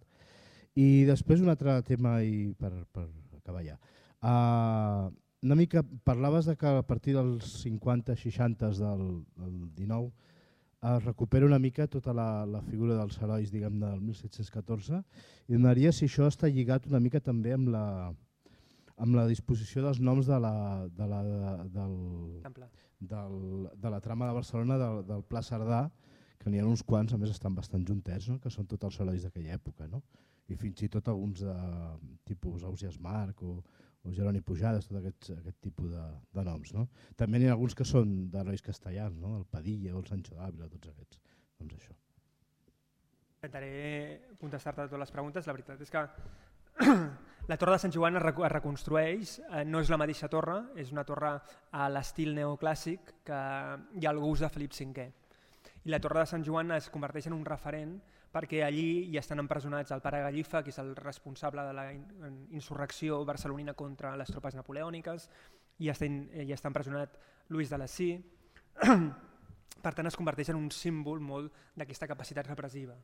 I després un altre tema i per acabar ja. Una mica parlaves de que a partir dels 50-60 del 19 es recupera una mica tota la figura dels herois, diguem, del 1714 i demanaria si això està lligat una mica també amb la disposició dels noms de la trama de Barcelona del Pla Cerdà, que n'hi ha uns quants, a més estan bastant juntets, no? Que són tots els herois d'aquella època. No? i fins i tot alguns de tipus Ausiàs Marc o Jeroni Pujades, tot aquest tipus de noms. No? També n'hi ha alguns que són d'herois castellans, no? El Padilla o el Sancho d'Àvila, tots aquests. Doncs això. Intentaré contestar-te totes les preguntes. La veritat és que la Torre de Sant Joan es reconstrueix, no és la mateixa torre, és una torre a l'estil neoclàssic que hi ha el gust de Felip V. I la Torre de Sant Joan es converteix en un referent perquè allí hi estan empresonats el pare Gallifa, que és el responsable de la insurrecció barcelonina contra les tropes napoleòniques, i està empresonat Lluís de Lacy. Per tant, es converteix en un símbol molt d'aquesta capacitat repressiva.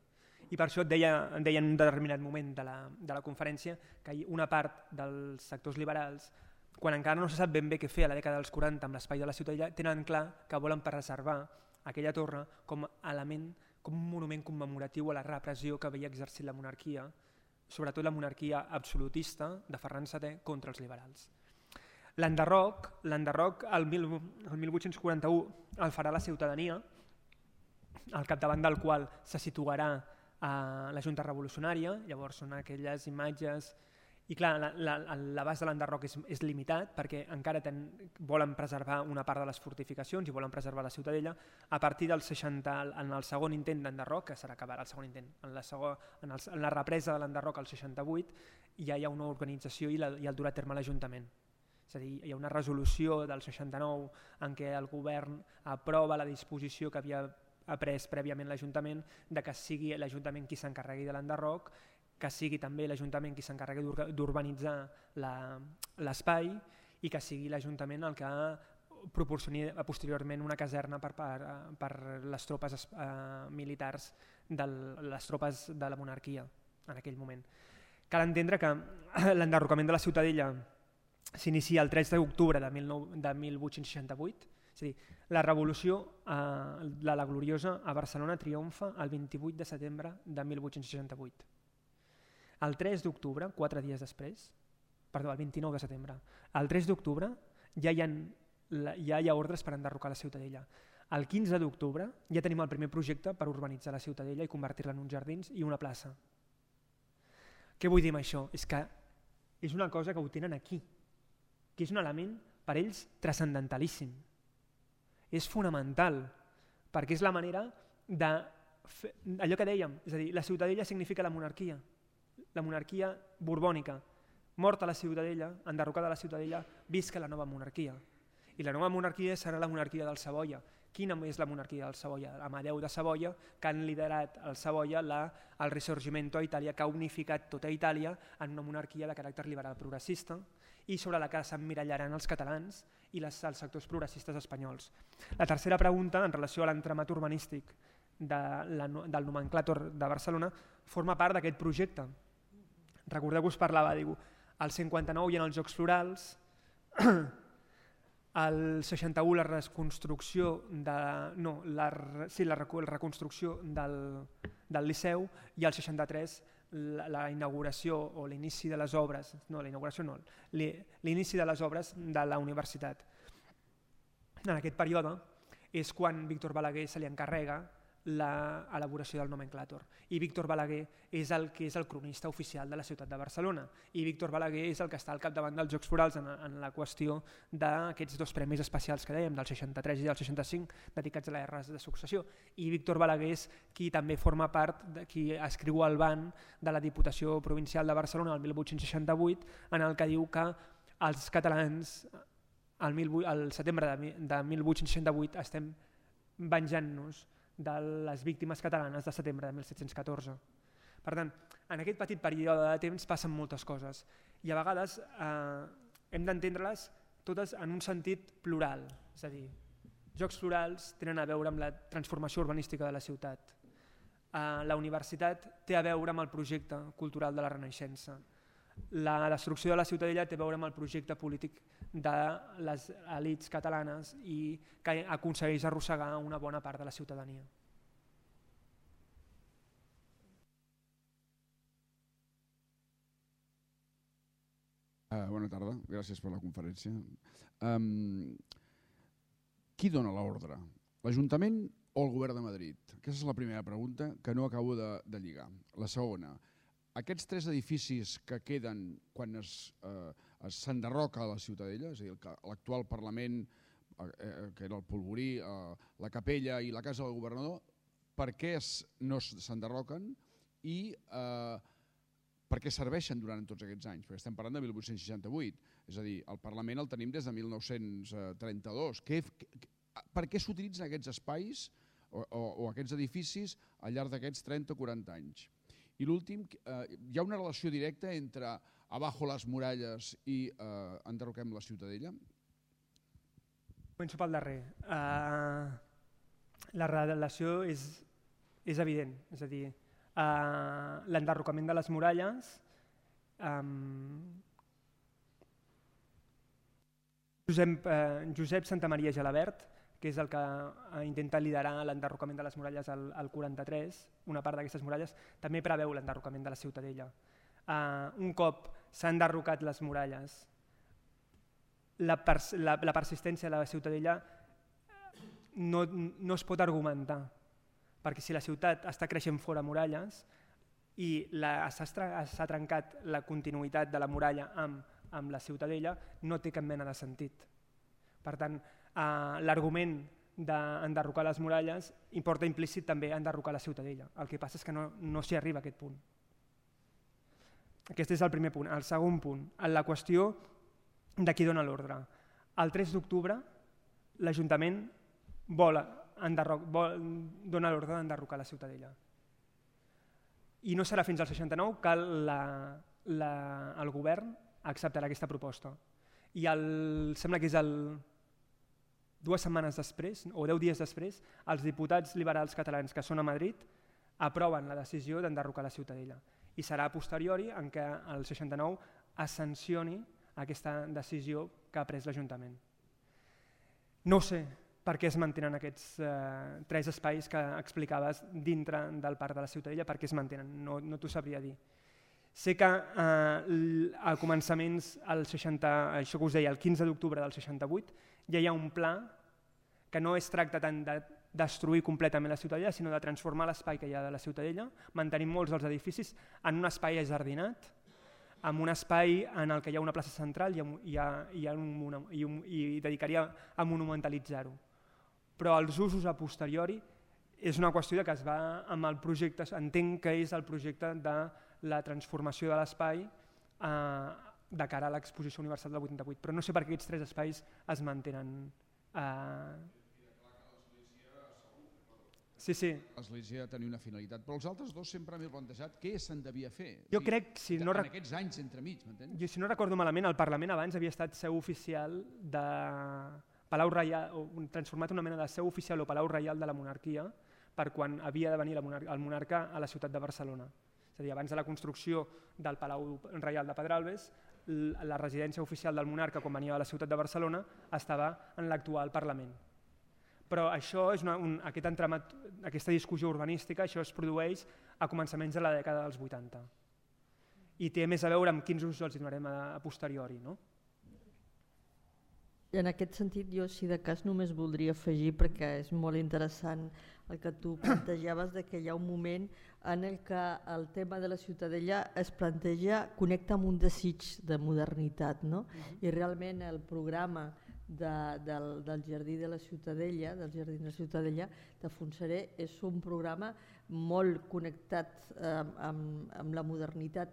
I per això et deia en un determinat moment de la conferència que una part dels sectors liberals, quan encara no se sap ben bé què fer a la dècada dels 40 amb l'espai de la Ciutadella, tenen clar que volen preservar aquella torre com a element, com un monument commemoratiu a la repressió que havia exercit la monarquia, sobretot la monarquia absolutista de Ferran VII contra els liberals. L'enderroc el 1841 el farà la ciutadania, al capdavant del qual se situarà la Junta Revolucionària. Llavors són aquelles imatges, i clar, l'abast de l'enderroc és limitat perquè encara volen preservar una part de les fortificacions i volen preservar la ciutadella. A partir del 60, en el segon intent d'enderroc, que serà acabarà el segon intent, en la represa de l'enderroc al 68, ja hi ha una organització i el durà a terme l'Ajuntament. És a dir, hi ha una resolució del 69 en què el govern aprova la disposició que havia pres prèviament l'Ajuntament de que sigui l'Ajuntament qui s'encarregui de l'enderroc, que sigui també l'Ajuntament qui s'encarregui d'urbanitzar l'espai i que sigui l'Ajuntament el que proporcioni posteriorment una caserna per les tropes militars, les tropes de la monarquia en aquell moment. Cal entendre que l'enderrocament de la Ciutadella s'inicia el 3 d'octubre de 1868, és a dir, la revolució de la Gloriosa a Barcelona triomfa el 28 de setembre de 1868. El 3 d'octubre, 4 dies després, perdó, el 29 de setembre, el 3 d'octubre ja hi ha ordres per enderrocar la Ciutadella. El 15 d'octubre ja tenim el primer projecte per urbanitzar la Ciutadella i convertir-la en uns jardins i una plaça. Què vull dir amb això? És que és una cosa que ho tenen aquí, que és un element per ells transcendentalíssim. És fonamental, perquè és la manera de fer allò que dèiem, és a dir, la Ciutadella significa la monarquia borbònica, morta la Ciutadella, enderrocada la Ciutadella, visca la nova monarquia. I la nova monarquia serà la monarquia del Savoia. Quina és la monarquia del Savoia? Amadeu de Savoia, que han liderat el Savoia el Risorgimento a Itàlia, que ha unificat tota Itàlia en una monarquia de caràcter liberal progressista i sobre la que s'emmirallaran els catalans i els sectors progressistes espanyols. La tercera pregunta, en relació a l'entramat urbanístic del nomenclàtor de Barcelona, forma part d'aquest projecte. Recordeu que us parlava, diu, al 59 hi ha els Jocs Florals, al 61 la reconstrucció del Liceu i al 63 la inauguració o l'inici de les obres, l'inici de les obres de la universitat. En aquest període és quan Víctor Balaguer se li encarrega l'elaboració del nomenclàtor. I Víctor Balaguer és el que és el cronista oficial de la ciutat de Barcelona. I Víctor Balaguer és el que està al capdavant dels Jocs Florals en la qüestió d'aquests dos premis especials que dèiem, del 63 i del 65, dedicats a les guerres de successió. I Víctor Balaguer és qui també forma part, qui escriu el ban de la Diputació Provincial de Barcelona el 1868, en el que diu que els catalans al setembre de 1868 estem venjant-nos de les víctimes catalanes de setembre de 1714. Per tant, en aquest petit període de temps passen moltes coses i a vegades hem d'entendre-les totes en un sentit plural, és a dir, Jocs Florals tenen a veure amb la transformació urbanística de la ciutat. La universitat té a veure amb el projecte cultural de la Renaixença. La destrucció de la Ciutadella té a veure amb el projecte polític de les elits catalanes i que aconsegueix arrossegar una bona part de la ciutadania. Bona tarda, gràcies per la conferència. Qui dona l'ordre? L'Ajuntament o el Govern de Madrid? Aquesta és la primera pregunta que no acabo de lligar. La segona, aquests 3 edificis que queden quan s'enderroca la Ciutadella, és a dir, l'actual Parlament, que era el Polvorí, la Capella i la Casa del Governador, per què no s'enderroquen i per què serveixen durant tots aquests anys? Perquè estem parlant de 1868, és a dir, el Parlament el tenim des de 1932. Per què s'utilitzen aquests espais o aquests edificis al llarg d'aquests 30 o 40 anys? I l'últim, hi ha una relació directa entre abajo les muralles i enderroquem la Ciutadella? Començo pel darrer. La relació és evident, és a dir, l'enderrocament de les muralles, Josep Santamaria Gelabert, que és el que intenta liderar l'enderrocament de les muralles al 43, una part d'aquestes muralles, també preveu l'enderrocament de la Ciutadella. Un cop s'han enderrocat les muralles, la persistència de la Ciutadella no es pot argumentar, perquè si la ciutat està creixent fora muralles i s'ha trencat la continuïtat de la muralla amb la Ciutadella, no té cap mena de sentit. Per tant, l'argument d'enderrocar les muralles importa implícit també enderrocar la Ciutadella. El que passa és que no s'hi arriba a aquest punt. Aquest és el primer punt. El segon punt, la qüestió de qui dona l'ordre. El 3 d'octubre l'Ajuntament dona l'ordre d'enderrocar la Ciutadella. I no serà fins al 69 que el govern acceptarà aquesta proposta. I sembla que és 2 setmanes després, o 10 dies després, els diputats liberals catalans que són a Madrid aproven la decisió d'enderrocar la Ciutadella. I serà a posteriori en què el 69 es sancioni aquesta decisió que ha pres l'Ajuntament. No sé per què es mantenen aquests 3 espais que explicaves dintre del Parc de la Ciutadella, per què es mantenen, no t'ho sabria dir. Sé que a començaments, això que us deia, el 15 d'octubre del 68, ja hi ha un pla que no es tracta tant de destruir completament la Ciutadella, sinó de transformar l'espai que hi ha de la Ciutadella, mantenint molts dels edificis en un espai ajardinat, en un espai en el que hi ha una plaça central i dedicaria a monumentalitzar-ho. Però els usos a posteriori és una qüestió que es va amb el projecte, entenc que és el projecte de la transformació de l'espai de cara a l'Exposició Universal del 88, però no sé per què aquests 3 espais es mantenen. Sí. L'església tenia una finalitat, però els altres 2 sempre m'he plantejat què se'n devia fer. Jo crec, en aquests anys entremig, m'entens? Si no recordo malament, el Parlament abans havia estat seu oficial de Palau Reial, transformat en una mena de seu oficial o Palau Reial de la monarquia per quan havia de venir el monarca a la ciutat de Barcelona. És a dir, abans de la construcció del Palau Reial de Pedralbes, la residència oficial del monarca quan venia a la ciutat de Barcelona estava en l'actual Parlament. Però això és aquest entramat, aquesta discussió urbanística, això es produeix a començaments de la dècada dels 80. I té més a veure amb quins usos els donarem a posteriori, no? En aquest sentit, jo, si de cas, només voldria afegir, perquè és molt interessant el que tu plantejaves, de que hi ha un moment en el que el tema de la Ciutadella es planteja, connecta amb un desig de modernitat, no? I realment el programa del Jardí de la Ciutadella, del Jardí de la Ciutadella de Fontserè, és un programa molt connectat amb la modernitat,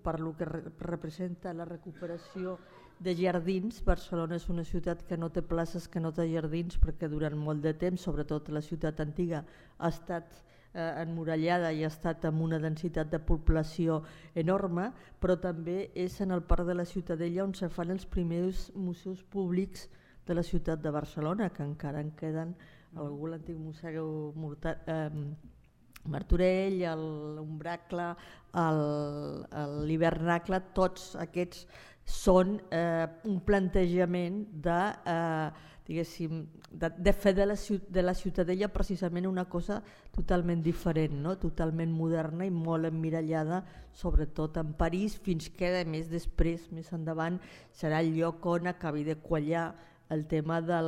per lo que representa la recuperació de jardins. Barcelona és una ciutat que no té places, que no té jardins, perquè durant molt de temps, sobretot la ciutat antiga, ha estat emmurallada i ha estat amb una densitat de població enorme, però també és en el Parc de la Ciutadella on se fan els primers museus públics de la ciutat de Barcelona, que encara en queden l'antic Museu Martorell, l'Umbracle, l'Hivernacle, tots aquests són un plantejament de fer de la Ciutadella precisament una cosa totalment diferent, no? Totalment moderna i molt emmirallada, sobretot en París, fins que a més després, més endavant, serà el lloc on acabi de quallar el tema de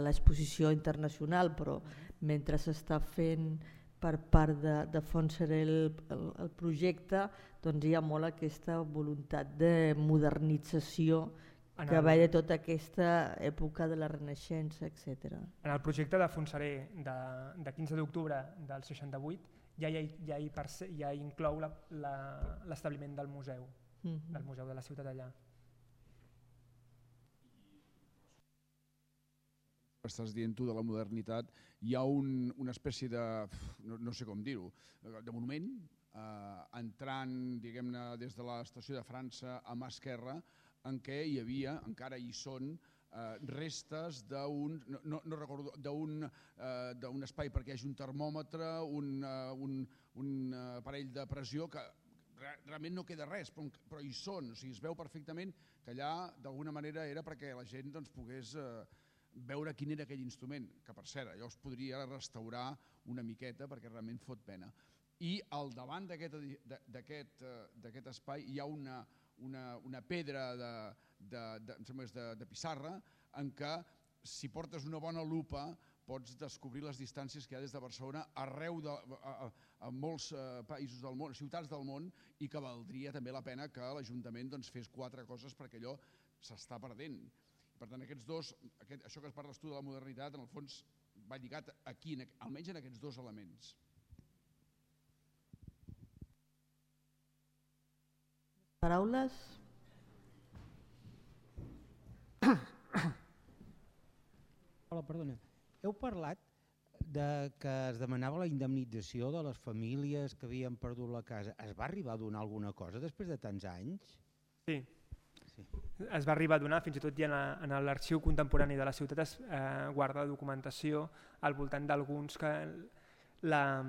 l'exposició internacional, però mentre s'està fent per part de Fontserè el projecte, doncs hi ha molt aquesta voluntat de modernització que ve de tota aquesta època de la Renaixença, etc. En el projecte de Fontserè de 15 d'octubre del 68 ja inclou l'establiment del museu de la ciutat allà. Estàs dient tu de la modernitat, hi ha una espècie de, no sé com dir-ho, de monument entrant, diguem-ne, des de l'estació de França a mà esquerra, en què hi havia, encara hi són, restes d'un espai perquè hi hagi un termòmetre, un aparell de pressió que realment no queda res, però hi són, o sigui, es veu perfectament que allà d'alguna manera era perquè la gent pogués veure quin era aquell instrument, que per cert, allò es podria restaurar una miqueta perquè realment fot pena. I al davant d'aquest espai hi ha una pedra de pissarra en què si portes una bona lupa pots descobrir les distàncies que hi ha des de Barcelona arreu a molts països del món, ciutats del món, i que valdria també la pena que l'Ajuntament fes 4 coses perquè allò s'està perdent. Per tant, aquests dos, això que parles tu de la modernitat, en el fons va lligat aquí, almenys en aquests 2 elements. Paraules? Hola, perdona. Heu parlat que es demanava la indemnització de les famílies que havien perdut la casa. Es va arribar a donar alguna cosa després de tants anys? Sí. Es va arribar a donar, fins i tot ja en l'arxiu contemporani de la ciutat es guarda documentació al voltant d'alguns que la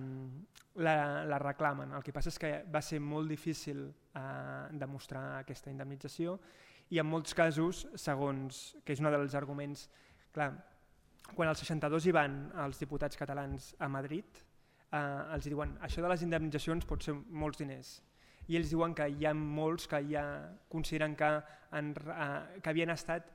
reclamen. El que passa és que va ser molt difícil demostrar aquesta indemnització i en molts casos, segons, que és un dels arguments, clar, quan al 62 hi van els diputats catalans a Madrid, els diuen això de les indemnitzacions pot ser molts diners. I ells diuen que hi ha molts que ja consideren que havien estat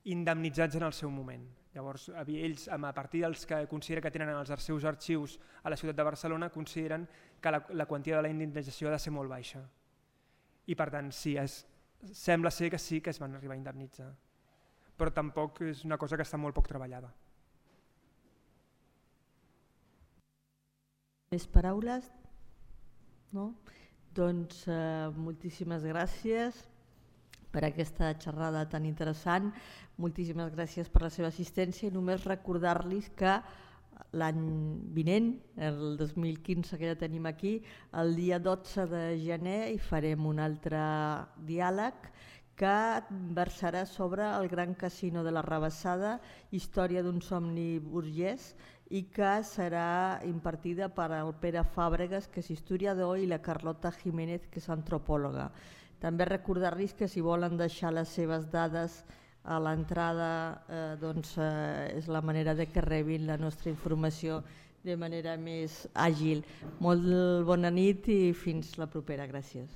indemnitzats en el seu moment. Llavors, ells, a partir dels que consideren que tenen els seus arxius a la ciutat de Barcelona, consideren que la quantia de la indemnització ha de ser molt baixa. I per tant, sí, sembla ser que sí que es van arribar a indemnitzar. Però tampoc és una cosa que està molt poc treballada. Més paraules? No? Doncs moltíssimes gràcies per aquesta xerrada tan interessant, moltíssimes gràcies per la seva assistència i només recordar-los que l'any vinent, el 2015 que ja tenim aquí, el dia 12 de gener hi farem un altre diàleg que versarà sobre el Gran Casino de la Rabassada, història d'un somni burgès, i que serà impartida per el Pere Fàbregas, que és historiador, i la Carlota Jiménez, que és antropòloga. També recordar-los que si volen deixar les seves dades a l'entrada és la manera de que rebin la nostra informació de manera més àgil. Molt bona nit i fins la propera. Gràcies.